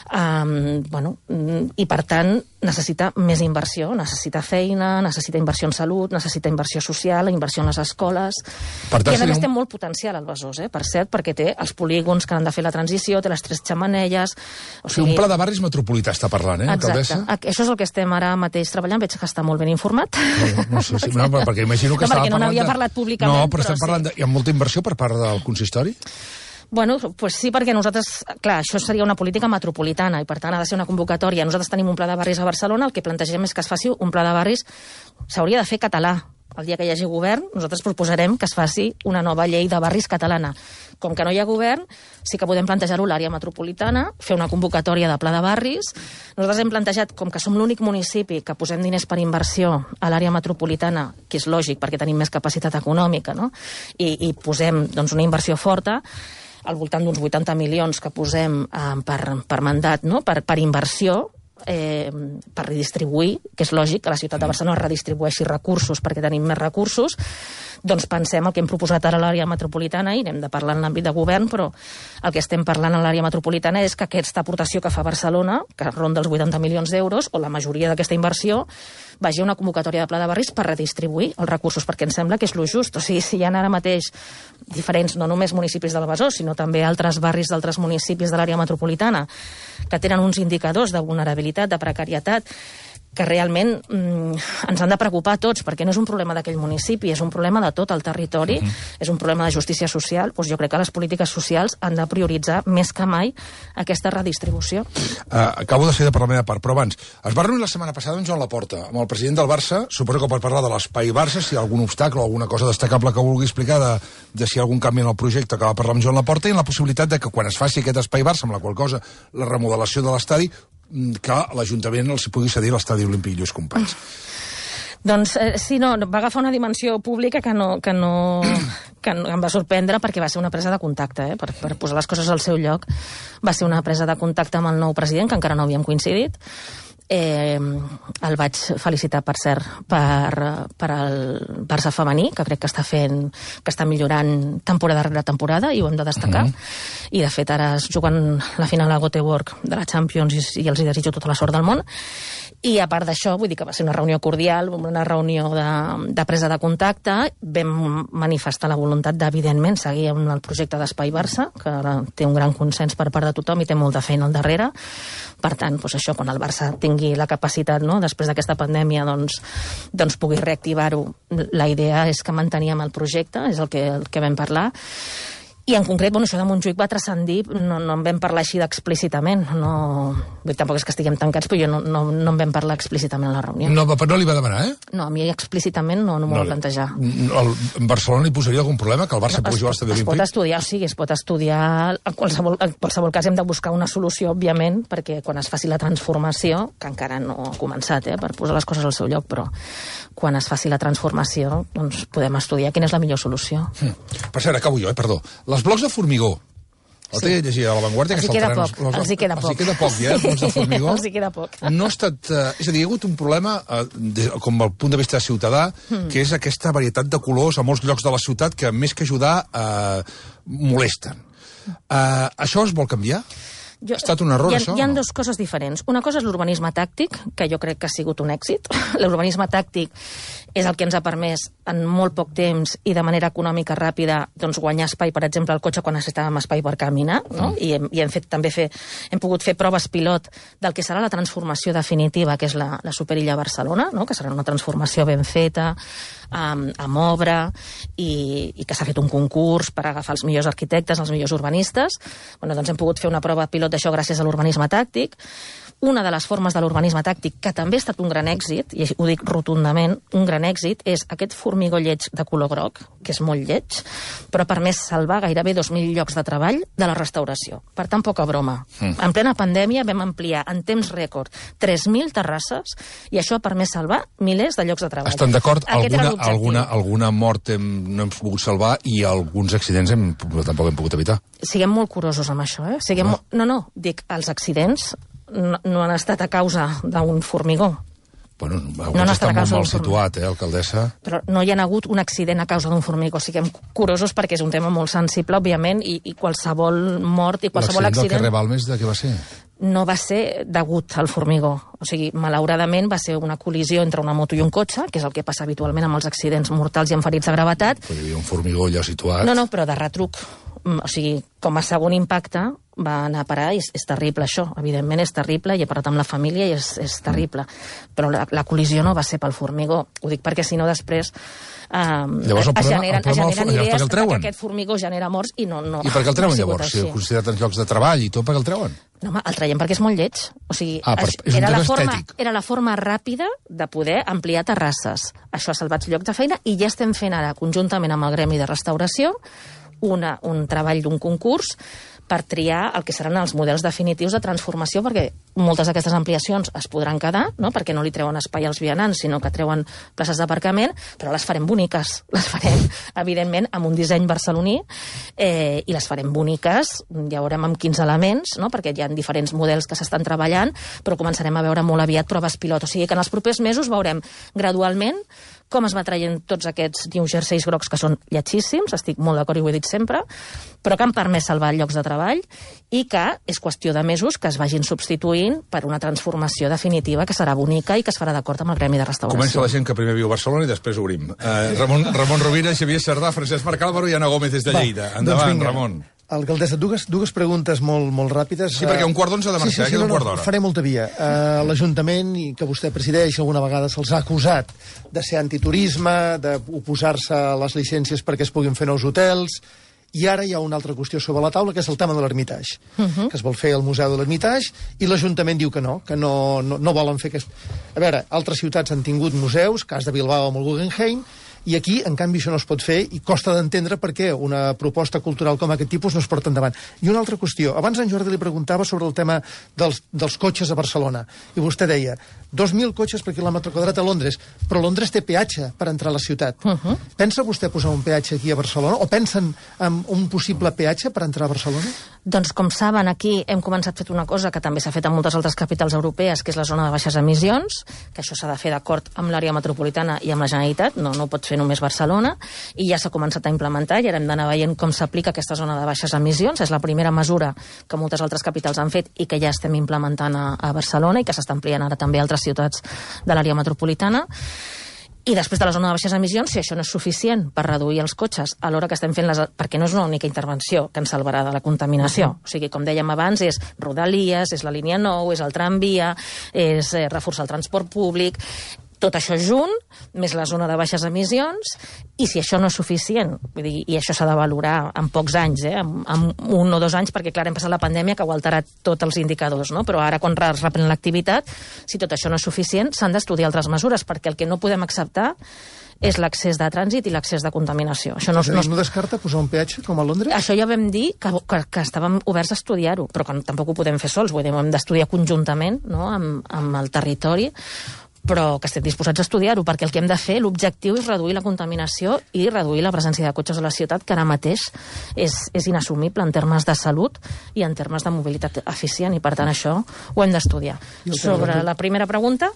i per tant necessita més inversió, necessita feina, necessita inversió en salut, necessita inversió social, inversió en les escoles. I a més té molt potencial el Besòs, per cert, perquè té els polígons que han de fer la transició, té les 3 xemeneies. O sigui, un pla de barris metropolità està parlant, alcaldessa? Exacte, això és el que estem ara mateix treballant, veig que està molt ben informat. No sé, perquè imagino que estava parlant... No, perquè no n'havia parlat públicament. No, però estem parlant hi ha molta inversió per part del consistori? Bueno, pues sí, perquè nosaltres, clar, això seria una política metropolitana i per tant ha de ser una convocatòria. Nosaltres tenim un pla de barris a Barcelona, el que plantegem és que es faci un pla de barris, s'hauria de fer català. El dia que hi hagi govern, nosaltres proposarem que es faci una nova llei de barris catalana. Com que no hi ha govern, sí que podem plantejar-ho a l'àrea metropolitana, fer una convocatòria de pla de barris. Nosaltres hem plantejat, com que som l'únic municipi que posem diners per inversió a l'àrea metropolitana, que és lògic perquè tenim més capacitat econòmica, no? I posem doncs, una inversió forta, al voltant d'uns 80 milions que posem per mandat, no? per inversió, per redistribuir, que és lògic que la ciutat de Barcelona redistribueixi recursos perquè tenim més recursos, doncs pensem el que hem proposat ara a l'àrea metropolitana, i n'hem de parlar en l'àmbit de govern, però el que estem parlant a l'àrea metropolitana és que aquesta aportació que fa Barcelona, que ronda els 80 milions d'euros, o la majoria d'aquesta inversió, vagi a una convocatòria de pla de barris per redistribuir els recursos, perquè ens sembla que és lo just. O sigui, si hi ha ara mateix diferents, no només municipis del Besòs, sinó també altres barris d'altres municipis de l'àrea metropolitana que tenen uns indicadors de vulnerabilitat, de precarietat, que realment ens han de preocupar a tots, perquè no és un problema d'aquell municipi, és un problema de tot el territori, és un problema de justícia social. Doncs jo crec que les polítiques socials han de prioritzar més que mai aquesta redistribució. Acabo de ser de per la meva part, però abans, es va reunir la setmana passada amb Joan Laporta, amb el president del Barça, suposo que per parlar de l'espai Barça, si hi ha algun obstacle o alguna cosa destacable que vulgui explicar de si hi ha algun canvi en el projecte, que va parlar amb Joan Laporta, i en la possibilitat de que quan es faci aquest espai Barça, amb la qual cosa la remodelació de l'estadi, que l'Ajuntament els pugui cedir l'estadi olímpic Lluís Companys. Doncs sí, no, va agafar una dimensió pública que em va sorprendre, perquè va ser una presa de contacte, per posar les coses al seu lloc. Va ser una presa de contacte amb el nou president, que encara no havíem coincidit, El vaig felicitar, per cert, per el Barça femení, que crec que està millorant temporada rere temporada, i ho hem de destacar. I, de fet, ara es juguen la final a Göteborg de la Champions i els hi desitjo tota la sort del món. I, a part d'això, vull dir que va ser una reunió cordial, una reunió de presa de contacte. Vam manifestar la voluntat d'evidentment seguir amb el projecte d'Espai Barça, que té un gran consens per part de tothom i té molta feina al darrere. Per tant, doncs això, quan el Barça tingui la capacitat, no?, després d'aquesta pandèmia, doncs pugui reactivar-ho. La idea és que manteníem el projecte, és el que vam parlar. I en concret, això de Montjuïc va transcendir, no en vam parlar així explícitament. Tampoc és que estiguem tancats, però no en vam parlar explícitament a la reunió. No li va demanar, eh? No, a mi explícitament no m'ho va plantejar. En Barcelona li posaria algun problema que el Barça pugui jugar a l'estadi olímpic? Es pot estudiar. En qualsevol cas hem de buscar una solució, òbviament, perquè quan es faci la transformació, que encara no ha començat, per posar les coses al seu lloc, però quan es faci la transformació, doncs podem estudiar quina és la millor solució. Per cert, acabo jo, perdó. Els blocs de formigó. El té llegit a La Vanguardia, que saltaran els hi queda poc. Els hi queda poc, els blocs de formigó. Els hi queda poc. No ha estat... És a dir, hi ha hagut un problema, com al punt de vista ciutadà, que és aquesta varietat de colors a molts llocs de la ciutat que, més que ajudar, molesten. Això es vol canviar? Ha estat un error, això? Hi ha dues coses diferents. Una cosa és l'urbanisme tàctic, que jo crec que ha sigut un èxit. L'urbanisme tàctic és el que ens ha permès en molt poc temps i de manera econòmica ràpida guanyar espai, per exemple, al cotxe quan necessitàvem espai per caminar, no? I hem pogut fer proves pilot del que serà la transformació definitiva, que és la Superilla Barcelona, no? Que serà una transformació ben feta, amb obra, i que s'ha fet un concurs per agafar els millors arquitectes, els millors urbanistes. Doncs hem pogut fer una prova pilot d'això gràcies a l'urbanisme tàctic. Una de les formes de l'urbanisme tàctic, que també ha estat un gran èxit, i ho dic rotundament, un gran èxit, és aquest formigó lleig de color groc, que és molt lleig, però ha permès salvar gairebé 2.000 llocs de treball de la restauració. Per tant, poca broma. En plena pandèmia vam ampliar en temps rècord 3.000 terrasses, i això ha permès salvar milers de llocs de treball. Estan d'acord? Alguna mort no hem pogut salvar i alguns accidents tampoc hem pogut evitar. Siguem molt curosos amb això, eh? Dic, els accidents no han estat a causa d'un formigó. Bueno, està molt mal situat, alcaldessa? Però no hi ha hagut un accident a causa d'un formigó. Siguem curosos perquè és un tema molt sensible, òbviament, i qualsevol mort i qualsevol accident... L'accident del carrer Balmes, de què va ser? No va ser degut al formigó. O sigui, malauradament va ser una col·lisió entre una moto i un cotxe, que és el que passa habitualment amb els accidents mortals i amb ferits de gravetat. Però hi havia un formigó allà situat... No, però de retruc. O sigui, com a segon impacte va anar a parar, i és terrible això, evidentment és terrible, i he parlat amb la família i és terrible, però la col·lisió no va ser pel formigó, ho dic perquè si no després es generen idees que aquest formigó genera morts i no. I per què el treuen llavors? Si heu considerat els llocs de treball i tot, per què el treuen? No, home, el traiem perquè és molt lleig. O sigui, era la forma ràpida de poder ampliar terrasses. Això ha salvat llocs de feina i ja estem fent ara, conjuntament amb el Gremi de Restauració, un treball d'un concurs per triar el que seran els models definitius de transformació, perquè moltes d'aquestes ampliacions es podran quedar, no? Perquè no li treuen espai als vianants, sinó que treuen places d'aparcament, però les farem boniques. Les farem, evidentment, amb un disseny barceloní, i les farem boniques, ja veurem amb quins elements, no? Perquè hi ha diferents models que s'estan treballant, però començarem a veure molt aviat proves pilot. O sigui que en els propers mesos veurem gradualment com es va traient tots aquests New Jerseys grocs que són lletgíssims, estic molt d'acord i ho he dit sempre, però que han permès salvar llocs de treball i que és qüestió de mesos que es vagin substituint per una transformació definitiva que serà bonica i que es farà d'acord amb el Gremi de Restauració. Comença la gent que primer viu a Barcelona i després obrim. Ramon Rovira, Xavier Sardà, Francesc Marc Álvaro i Anna Gómez des de Lleida. Endavant, Ramon. Alcaldessa, dues preguntes molt ràpides. Sí, perquè un quart d'onze ha de marxar, queda un quart d'hora. Faré molta via. L'Ajuntament, que vostè presideix, alguna vegada se'ls ha acusat de ser antiturisme, d'oposar-se a les llicències perquè es puguin fer nous hotels, i ara hi ha una altra qüestió sobre la taula, que és el tema de l'Ermitage, que es vol fer el Museu de l'Ermitage, i l'Ajuntament diu que no volen fer aquest... A veure, altres ciutats han tingut museus, cas de Bilbao amb el Guggenheim, I aquí, en canvi, això no es pot fer i costa d'entendre per què una proposta cultural com aquest tipus no es porta endavant. I una altra qüestió. Abans en Jordi li preguntava sobre el tema dels cotxes a Barcelona. I vostè deia, 2.000 cotxes per quilòmetre quadrat a Londres, però Londres té peatge per entrar a la ciutat. Pensa vostè posar un peatge aquí a Barcelona? O pensen en un possible peatge per entrar a Barcelona? Doncs, com saben, aquí hem començat fet una cosa que també s'ha fet a moltes altres capitals europees, que és la zona de baixes emissions, que això s'ha de fer d'acord amb l'àrea metropolitana i amb la Generalitat, no ho pot fer només Barcelona, i ja s'ha començat a implementar, i ara hem d'anar veient com s'aplica aquesta zona de baixes emissions. És la primera mesura que moltes altres capitals han fet i que ja estem implementant a Barcelona i que s'està ampliant ara també a altres ciutats de l'àrea metropolitana. I després de la zona de baixes emissions, si això no és suficient per reduir els cotxes a l'hora que estem fent perquè no és una única intervenció que ens salvarà de la contaminació. O sigui, com dèiem abans, és Rodalies, és la línia 9, és el tramvia, és reforçar el transport públic. Tot això junt, més la zona de baixes emissions, i si això no és suficient, vull dir, i això s'ha de valorar en pocs anys, en 1 o 2 anys, perquè clar, hem passat la pandèmia que ho ha alterat tots els indicadors, no? Però ara quan es reprèn l'activitat, si tot això no és suficient, s'han d'estudiar altres mesures, perquè el que no podem acceptar és l'accés de trànsit i l'accés de contaminació. Això no descarta posar un peatge com a Londres? Això ja vam dir que estàvem oberts a estudiar-ho, però que tampoc ho podem fer sols, vull dir, ho hem d'estudiar conjuntament, no?, amb el territori, però que estem disposats a estudiar-ho, perquè el que hem de fer, l'objectiu és reduir la contaminació i reduir la presència de cotxes a la ciutat, que ara mateix és inassumible en termes de salut i en termes de mobilitat eficient, i per tant això ho hem d'estudiar. Sobre la primera pregunta,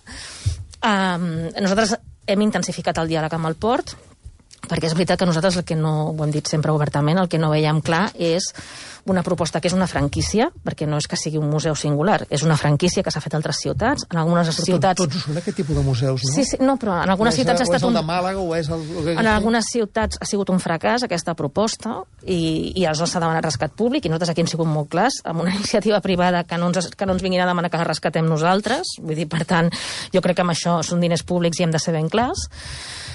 nosaltres hem intensificat el diàleg amb el port, perquè és veritat que nosaltres el que no, ho hem dit sempre obertament, el que no veiem clar és una proposta que és una franquícia, perquè no és que sigui un museu singular, és una franquícia que s'ha fet a altres ciutats, en algunes ciutats... Tots són aquest tipus de museus, no? Sí, no, però en algunes ciutats ha estat un... O és el de Màlaga, o és el... En algunes ciutats ha sigut un fracàs, aquesta proposta, i aleshores s'ha demanat rescat públic, i nosaltres aquí hem sigut molt clars, amb una iniciativa privada que no ens vinguin a demanar que la rescatem nosaltres, vull dir, per tant, jo crec que amb això són diners públics i hem de ser ben clars.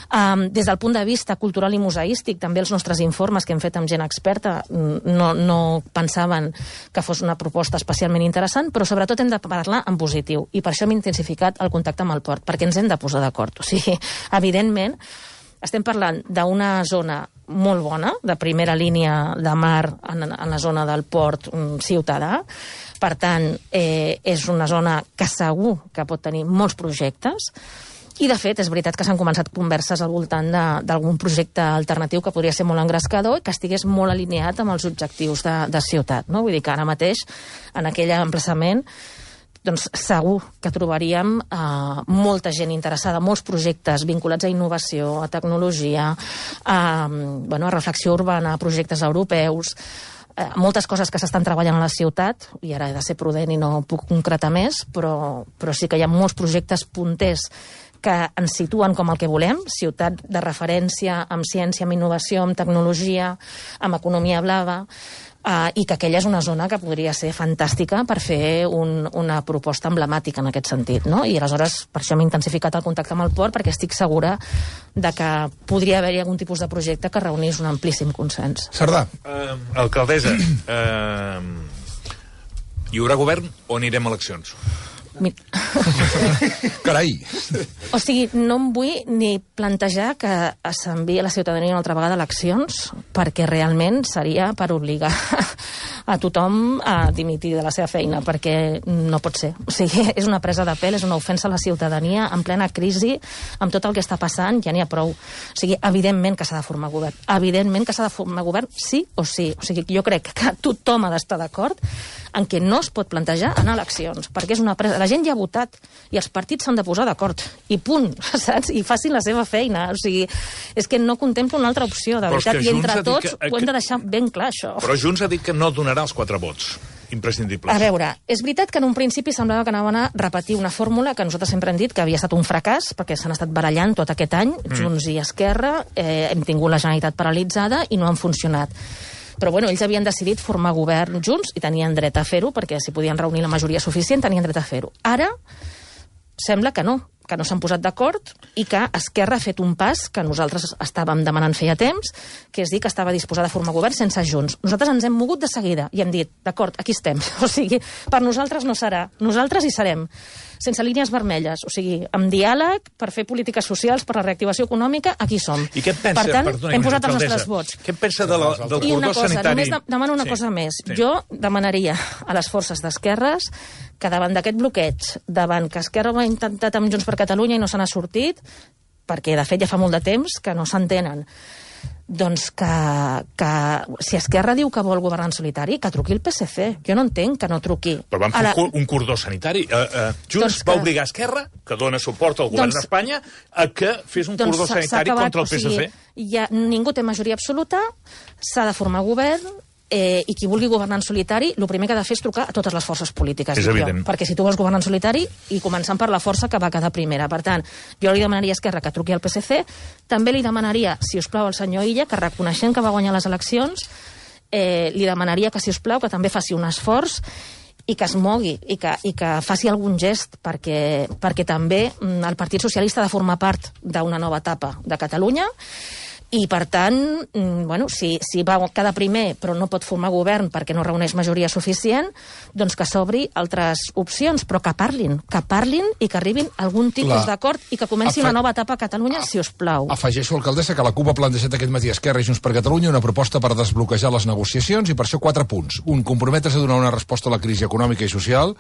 Des del punt de vista cultural i museístic, també els nostres informes que hem fet amb gent experta no pensaven que fos una proposta especialment interessant, però sobretot hem de parlar en positiu, i per això hem intensificat el contacte amb el port, perquè ens hem de posar d'acord. O sigui, evidentment, estem parlant d'una zona molt bona, de primera línia de mar en la zona del port ciutadà. Per tant, és una zona que segur que pot tenir molts projectes, i, de fet, és veritat que s'han començat converses al voltant d'algun projecte alternatiu que podria ser molt engrescador i que estigués molt alineat amb els objectius de ciutat, no? Vull dir que ara mateix, en aquell emplaçament, doncs segur que trobaríem molta gent interessada, molts projectes vinculats a innovació, a tecnologia, a reflexió urbana, a projectes europeus, moltes coses que s'estan treballant a la ciutat, i ara he de ser prudent i no puc concretar més, però sí que hi ha molts projectes punters que ens situen com el que volem, ciutat de referència amb ciència, amb innovació, amb tecnologia, amb economia blava, i que aquella és una zona que podria ser fantàstica per fer una proposta emblemàtica en aquest sentit, no? I aleshores per això hem intensificat el contacte amb el port, perquè estic segura de que podria haver-hi algun tipus de projecte que reunís un amplíssim consens. Cerdà. Alcaldessa, hi haurà govern o anirem a eleccions? Carai! O sigui, no em vull ni plantejar que s'enviï a la ciutadania una altra vegada a eleccions, perquè realment seria per obligar a tothom a dimitir de la seva feina, perquè no pot ser. O sigui, és una presa de pèl, és una ofensa a la ciutadania en plena crisi, amb tot el que està passant, ja n'hi ha prou. O sigui, evidentment que s'ha de formar govern. Evidentment que s'ha de formar govern, sí o sí. O sigui, jo crec que tothom ha d'estar d'acord en què no es pot plantejar anar a eleccions, perquè és una presa... La gent ja ha votat i els partits s'han de posar d'acord. I punt, saps? I facin la seva feina. O sigui, és que no contempla una altra opció, de veritat. I entre tots ho hem de deixar ben clar, això. Però Junts ha dit que no donarà els 4 vots imprescindibles. A veure, és veritat que en un principi semblava que anaven a repetir una fórmula que nosaltres sempre hem dit que havia estat un fracàs, perquè s'han estat barallant tot aquest any, Junts i Esquerra, hem tingut la Generalitat paralitzada i no han funcionat. Però bueno, ells havien decidit formar govern junts i tenien dret a fer-ho, perquè si podien reunir la majoria suficient tenien dret a fer-ho. Ara sembla que no, que no s'han posat d'acord i que Esquerra ha fet un pas que nosaltres estàvem demanant feia temps, que és dir que estava disposada a formar govern sense Junts. Nosaltres ens hem mogut de seguida i hem dit, d'acord, aquí estem. O sigui, per nosaltres no serà. Nosaltres hi serem. Sense línies vermelles. O sigui, amb diàleg, per fer polítiques socials, per la reactivació econòmica, aquí som. I què et pensa, per tant, perdona, hem posat els alcaldessa, nostres vots. Què et pensa del cordó sanitari? Només demano una cosa més. Jo demanaria a les forces d'esquerres que davant d'aquest bloqueig, davant que Esquerra ho ha intentat amb Junts per Catalunya i no se n'ha sortit, perquè de fet ja fa molt de temps que no s'entenen, doncs que si Esquerra diu que vol governar en solitari, que truqui el PSC. Jo no entenc que no truqui. Però van fer un cordó sanitari. Junts va obligar Esquerra, que dona suport al govern d'Espanya, a que fes un cordó sanitari contra el PSC. Ningú té majoria absoluta, s'ha de formar govern, i qui vulgui governar en solitari, el primer que ha de fer és trucar a totes les forces polítiques. És evident. Perquè si tu vols governar en solitari, i començant per la força que va quedar primera. Per tant, jo li demanaria a Esquerra que truqui al PSC, també li demanaria, si us plau, al senyor Illa, que reconeixent que va guanyar les eleccions, li demanaria que, si us plau, que també faci un esforç i que es mogui, i que faci algun gest, perquè també el Partit Socialista ha de formar part d'una nova etapa de Catalunya, i, per tant, si va quedar primer però no pot formar govern perquè no reuneix majoria suficient, doncs que s'obri altres opcions, però que parlin i que arribin a algun tipus d'acord i que comenci una nova etapa a Catalunya, si us plau. Afegeixo, alcaldessa, que la CUP ha plantejat aquest matí a Esquerra i Junts per Catalunya una proposta per desbloquejar les negociacions, i per això 4 punts. Un, comprometre's a donar una resposta a la crisi econòmica i social,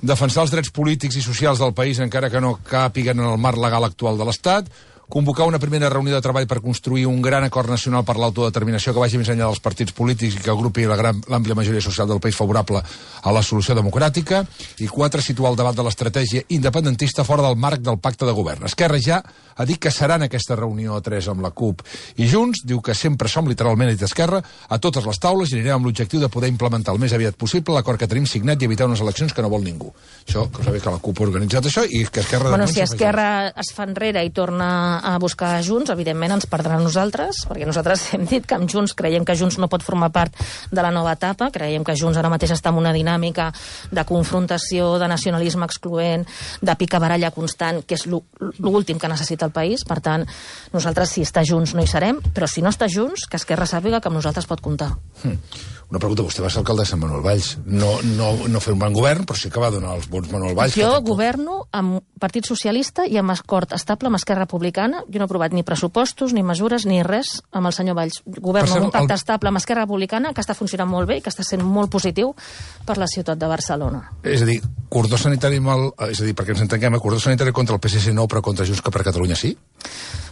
defensar els drets polítics i socials del país encara que no càpiguen en el marc legal actual de l'Estat, convocar una primera reunió de treball per construir un gran acord nacional per l'autodeterminació que vagi més enllà dels partits polítics i que agrupi l'àmplia majoria social del país favorable a la solució democràtica, i 4, situar el debat de l'estratègia independentista fora del marc del pacte de govern. Esquerra ja ha dit que serà en aquesta reunió a 3 amb la CUP i Junts, diu que sempre som, literalment, i d'Esquerra, a totes les taules, i anirem amb l'objectiu de poder implementar el més aviat possible l'acord que tenim signat i evitar unes eleccions que no vol ningú. Això, que sabeu que la CUP ha organitzat això i que Esquerra... Si Esquerra es fa enrere i torna a buscar Junts, evidentment ens perdrà a nosaltres, perquè nosaltres hem dit que amb Junts creiem que Junts no pot formar part de la nova etapa, creiem que Junts ara mateix està en una dinàmica de confrontació, de nacionalisme excloent, de picabaralla constant, que és l'últim que necessita el país. Per tant, nosaltres, si està Junts, no hi serem, però si no està Junts, que Esquerra sàpiga que amb nosaltres pot comptar. Una pregunta, vostè va ser alcaldessa amb Manuel Valls. No fer un bon govern, però sí que va donar els vots Manuel Valls. Jo governo amb Partit Socialista i amb acord estable amb Esquerra Republicana. Jo no he aprovat ni pressupostos, ni mesures, ni res amb el senyor Valls. Governo amb un pacte estable amb Esquerra Republicana que està funcionant molt bé i que està sent molt positiu per la ciutat de Barcelona. És a dir, cordó sanitari és a dir, perquè ens entenguem, cordó sanitari contra el PSC no, però contra Junts per Catalunya sí?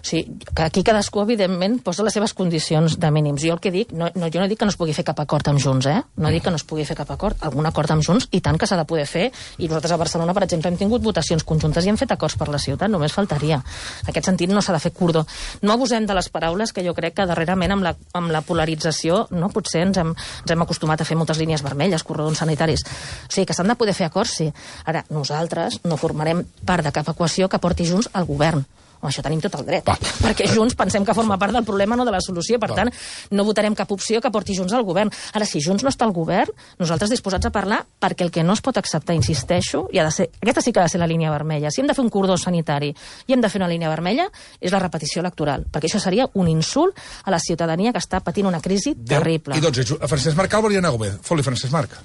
Sí, que aquí cadascú, evidentment, posa les seves condicions de mínims. Jo el que dic, jo no dic que no es pugui fer cap acord amb Junts, No dic que no es pugui fer cap acord. Algun acord amb Junts, i tant que s'ha de poder fer. I nosaltres a Barcelona, per exemple, hem tingut votacions conjuntes i hem fet acords per la ciutat, només faltaria. En aquest sentit no s'ha de fer cordó. No abusem de les paraules, que jo crec que darrerament amb la polarització potser ens hem acostumat a fer moltes línies vermelles, corredors sanitaris. O sigui, que s'han de poder fer acords, sí. Ara, nosaltres no formarem part de cap equació que porti Junts al govern. Això tenim tot el dret, perquè Junts pensem que forma part del problema, no de la solució, per tant, no votarem cap opció que porti Junts al govern. Ara, si Junts no està al govern, nosaltres disposats a parlar, perquè el que no es pot acceptar, insisteixo, i ha de ser, aquesta sí que ha de ser la línia vermella. Si hem de fer un cordó sanitari i hem de fer una línia vermella, és la repetició electoral, perquè això seria un insult a la ciutadania que està patint una crisi terrible. I doncs, Francesc Marc Álvaro i Ana Gómez. Foli, Francesc Marc.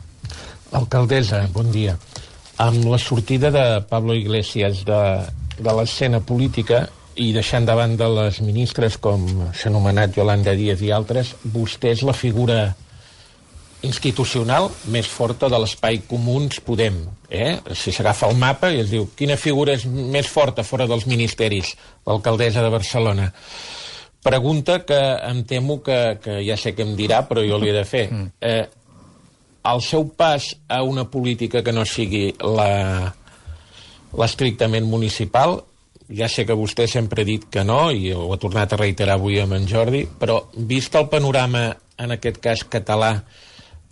Alcaldessa, bon dia. Amb la sortida de Pablo Iglesias de l'escena política i deixant de banda les ministres com s'ha anomenat Yolanda Díaz i altres, vostè és la figura institucional més forta de l'espai Comuns Podem. Si s'agafa el mapa i es diu quina figura és més forta fora dels ministeris, l'alcaldessa de Barcelona. Pregunta que em temo que ja sé què em dirà, però jo li he de fer. El seu pas a una política que no sigui l'estrictament municipal, ja sé que vostè sempre ha dit que no, i ho ha tornat a reiterar avui amb en Jordi, però vist el panorama, en aquest cas català,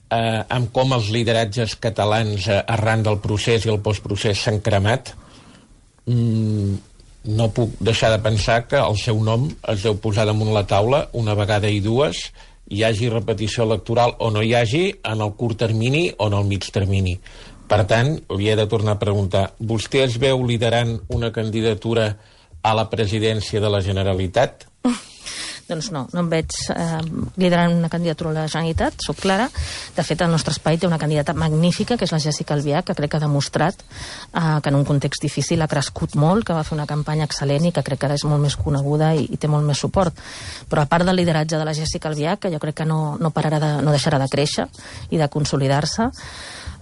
amb com els lideratges catalans arran del procés i el postprocés s'han cremat, no puc deixar de pensar que el seu nom es deu posar damunt la taula una vegada i dues, hi hagi repetició electoral o no hi hagi, en el curt termini o en el mig termini. Per tant, li he de tornar a preguntar, vostè es veu liderant una candidatura a la presidència de la Generalitat? Doncs no em veig liderant una candidatura a la Generalitat, soc clara. De fet, el nostre espai té una candidata magnífica, que és la Jéssica Albiach, que crec que ha demostrat que en un context difícil ha crescut molt, que va fer una campanya excel·lent i que crec que ara és molt més coneguda i té molt més suport. Però a part del lideratge de la Jéssica Albiach, que jo crec que no deixarà de créixer i de consolidar-se,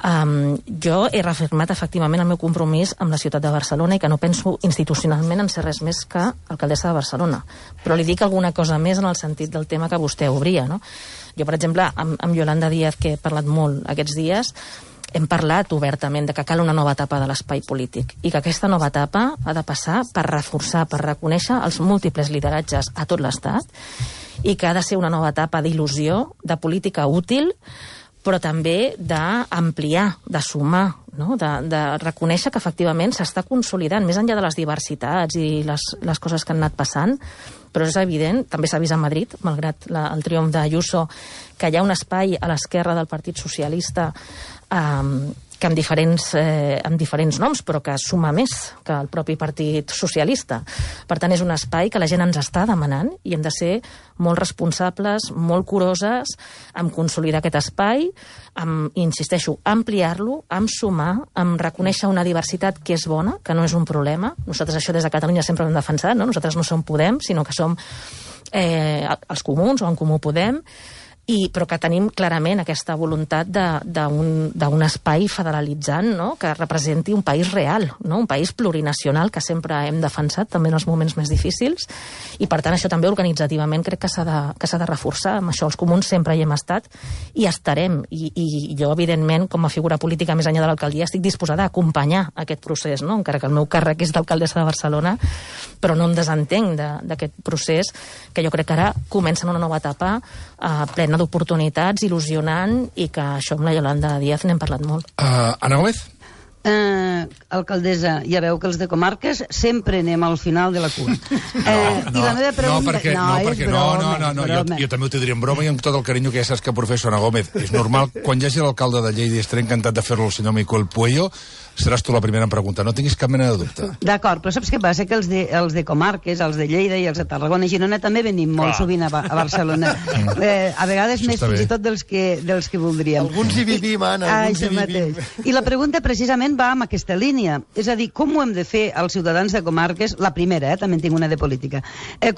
jo he reafirmat efectivament el meu compromís amb la ciutat de Barcelona i que no penso institucionalment en ser res més que alcaldessa de Barcelona. Però li dic alguna cosa més en el sentit del tema que vostè obria, no? Jo, per exemple, amb Yolanda Díaz, que he parlat molt aquests dies, hem parlat obertament de que cal una nova etapa de l'espai polític i que aquesta nova etapa ha de passar per reforçar, per reconèixer els múltiples lideratges a tot l'Estat i que ha de ser una nova etapa d'il·lusió, de política útil, però també d'ampliar, de sumar, no? de reconèixer que efectivament s'està consolidant, més enllà de les diversitats i les coses que han anat passant, però és evident, també s'ha vist a Madrid, malgrat el triomf d'Ayuso, que hi ha un espai a l'esquerra del Partit Socialista que amb diferents noms, però que suma més que el propi Partit Socialista. Per tant, és un espai que la gent ens està demanant i hem de ser molt responsables, molt curoses, amb consolidar aquest espai, insisteixo, ampliar-lo, amb sumar, amb reconèixer una diversitat que és bona, que no és un problema. Nosaltres això des de Catalunya sempre ho hem defensat, no? Nosaltres no som Podem, sinó que som els comuns o en Comú Podem, però que tenim clarament aquesta voluntat d'un espai federalitzant, no? Que representi un país real, no? Un país plurinacional que sempre hem defensat, també en els moments més difícils, i per tant això també organitzativament crec que s'ha de reforçar. Amb això els comuns sempre hi hem estat i estarem, i jo evidentment com a figura política més enllà de l'alcaldia estic disposada a acompanyar aquest procés, no? Encara que el meu càrrec és d'alcaldessa de Barcelona, però no em desentenc d'aquest procés, que jo crec que ara comença una nova etapa plena d'oportunitats, il·lusionant, i que això amb la Yolanda Díaz n'hem parlat molt. Ana Gómez? Alcaldessa, ja veu que els de comarques sempre anem al final de la cua. I la meva pregunta... Jo també ho te diria en broma i amb tot el carinyo que ja saps que professo Ana Gómez. És normal, quan hi hagi l'alcalde de Lleida i estaré encantat de fer-lo el senyor Miquel Puello, seràs tu la primera en preguntar, no tinguis cap mena de dubte. D'acord, però saps què passa? Que els de comarques, els de Lleida i els de Tarragona i Girona també venim molt sovint a Barcelona. A vegades més fins i tot dels que voldríem. Alguns hi vivim, Anna, alguns hi vivim. I la pregunta precisament va amb aquesta línia. És a dir, com ho hem de fer els ciutadans de comarques, la primera, també en tinc una de política,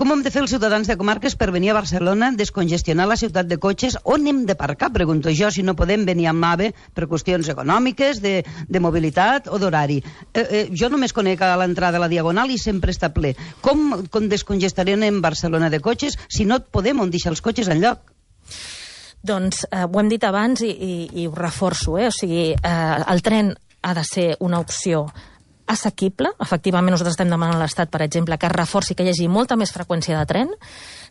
com ho hem de fer els ciutadans de comarques per venir a Barcelona, descongestionar la ciutat de cotxes? On hem de parcar, pregunto jo, si no podem venir amb AVE per qüestions econòmiques, de mobilitat o d'horari. Jo només conec a l'entrada de la Diagonal i sempre està ple. Com descongestarem en Barcelona de cotxes si no podem on deixar els cotxes enlloc? Doncs ho hem dit abans i ho reforço, o sigui, el tren ha de ser una opció assequible. Efectivament, nosaltres estem demanant a l'Estat, per exemple, que es reforci, que hi hagi molta més freqüència de tren,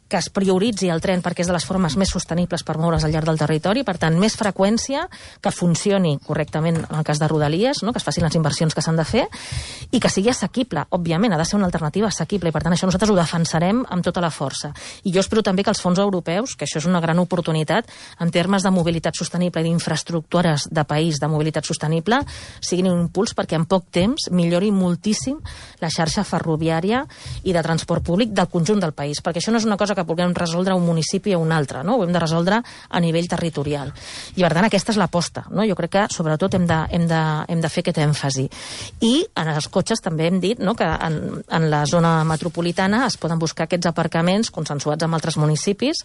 que es prioritzi el tren perquè és de les formes més sostenibles per moure's al llarg del territori, per tant, més freqüència, que funcioni correctament en el cas de Rodalies, no? Que es facin les inversions que s'han de fer, i que sigui assequible. Òbviament, ha de ser una alternativa assequible, i per tant, això nosaltres ho defensarem amb tota la força. I jo espero també que els fons europeus, que això és una gran oportunitat, en termes de mobilitat sostenible i d'infraestructures de país de mobilitat sostenible, siguin un impuls perquè en poc temps millori moltíssim la xarxa ferroviària i de transport públic del conjunt del país, perquè això no és una cosa que puguem resoldre un municipi o un altre, no? Ho hem de resoldre a nivell territorial. I per tant, aquesta és l'aposta, no? Jo crec que sobretot hem de fer aquest èmfasi. I en els cotxes també hem dit, no, que en la zona metropolitana es poden buscar aquests aparcaments consensuats amb altres municipis,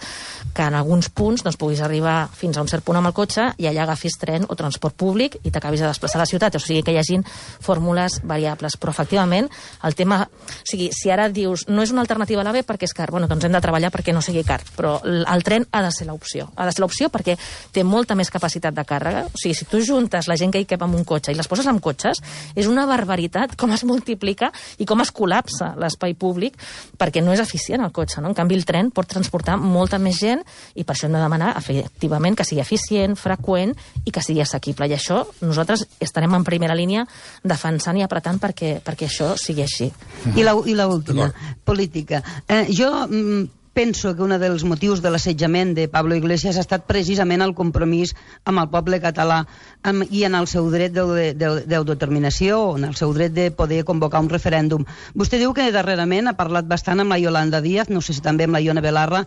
que en alguns punts doncs, puguis arribar fins a un cert punt amb el cotxe i allà agafis tren o transport públic i t'acabis de desplaçar a la ciutat. O sigui, que hi hagin fórmules variables. Però efectivament, el tema... O sigui, si ara dius no és una alternativa a l'AVE perquè és car, bueno, doncs hem de treballar perquè no sigui car, però el tren ha de ser l'opció. Ha de ser l'opció perquè té molta més capacitat de càrrega. O sigui, si tu juntes la gent que hi cap amb un cotxe i les poses amb cotxes, és una barbaritat com es multiplica i com es col·lapsa l'espai públic, perquè no és eficient el cotxe, no? En canvi, el tren pot transportar molta més gent i per això hem de demanar, efectivament, que sigui eficient, freqüent i que sigui assequible. I això nosaltres estarem en primera línia defensant i apretant perquè això sigui així. I l'última, política. Jo penso que un dels motius de l'assetjament de Pablo Iglesias ha estat precisament el compromís amb el poble català i en el seu dret d'autodeterminació, en el seu dret de poder convocar un referèndum. Vostè diu que darrerament ha parlat bastant amb la Yolanda Díaz, no sé si també amb la Ione Belarra.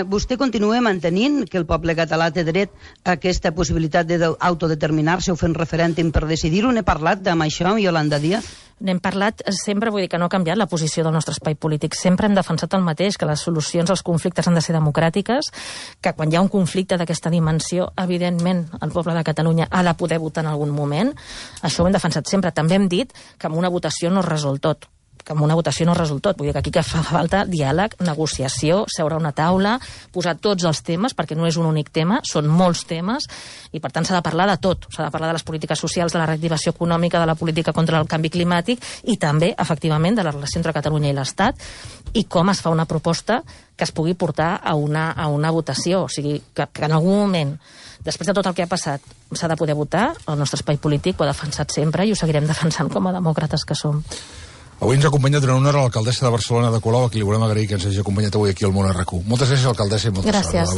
Vostè continua mantenint que el poble català té dret a aquesta possibilitat d'autodeterminar-se o fer un referèndum per decidir-ho? N'he parlat amb això amb Yolanda Díaz? N'hem parlat sempre, vull dir que no ha canviat la posició del nostre espai polític. Sempre hem defensat el mateix, que les solucions als conflictes han de ser democràtiques, que quan hi ha un conflicte d'aquesta dimensió, evidentment, el poble de Catalunya ha de poder votar en algun moment. Això ho hem defensat sempre. També hem dit que amb una votació no es resol tot. Vull dir que aquí que fa falta diàleg, negociació, seure a una taula, posar tots els temes, perquè no és un únic tema, són molts temes, i per tant s'ha de parlar de tot. S'ha de parlar de les polítiques socials, de la reactivació econòmica, de la política contra el canvi climàtic i també, efectivament, de la relació entre Catalunya i l'Estat i com es fa una proposta que es pugui portar a una votació. O sigui, que en algun moment, després de tot el que ha passat, s'ha de poder votar. El nostre espai polític ho ha defensat sempre i ho seguirem defensant com a demòcrates que som. Avui ens ha acompanyat durant una hora l'alcaldessa de Barcelona de Colau, a qui li volem agrair que ens hagi acompanyat avui aquí al Món a RAC1. Moltes gràcies, alcaldessa, i molta sort. Gràcies.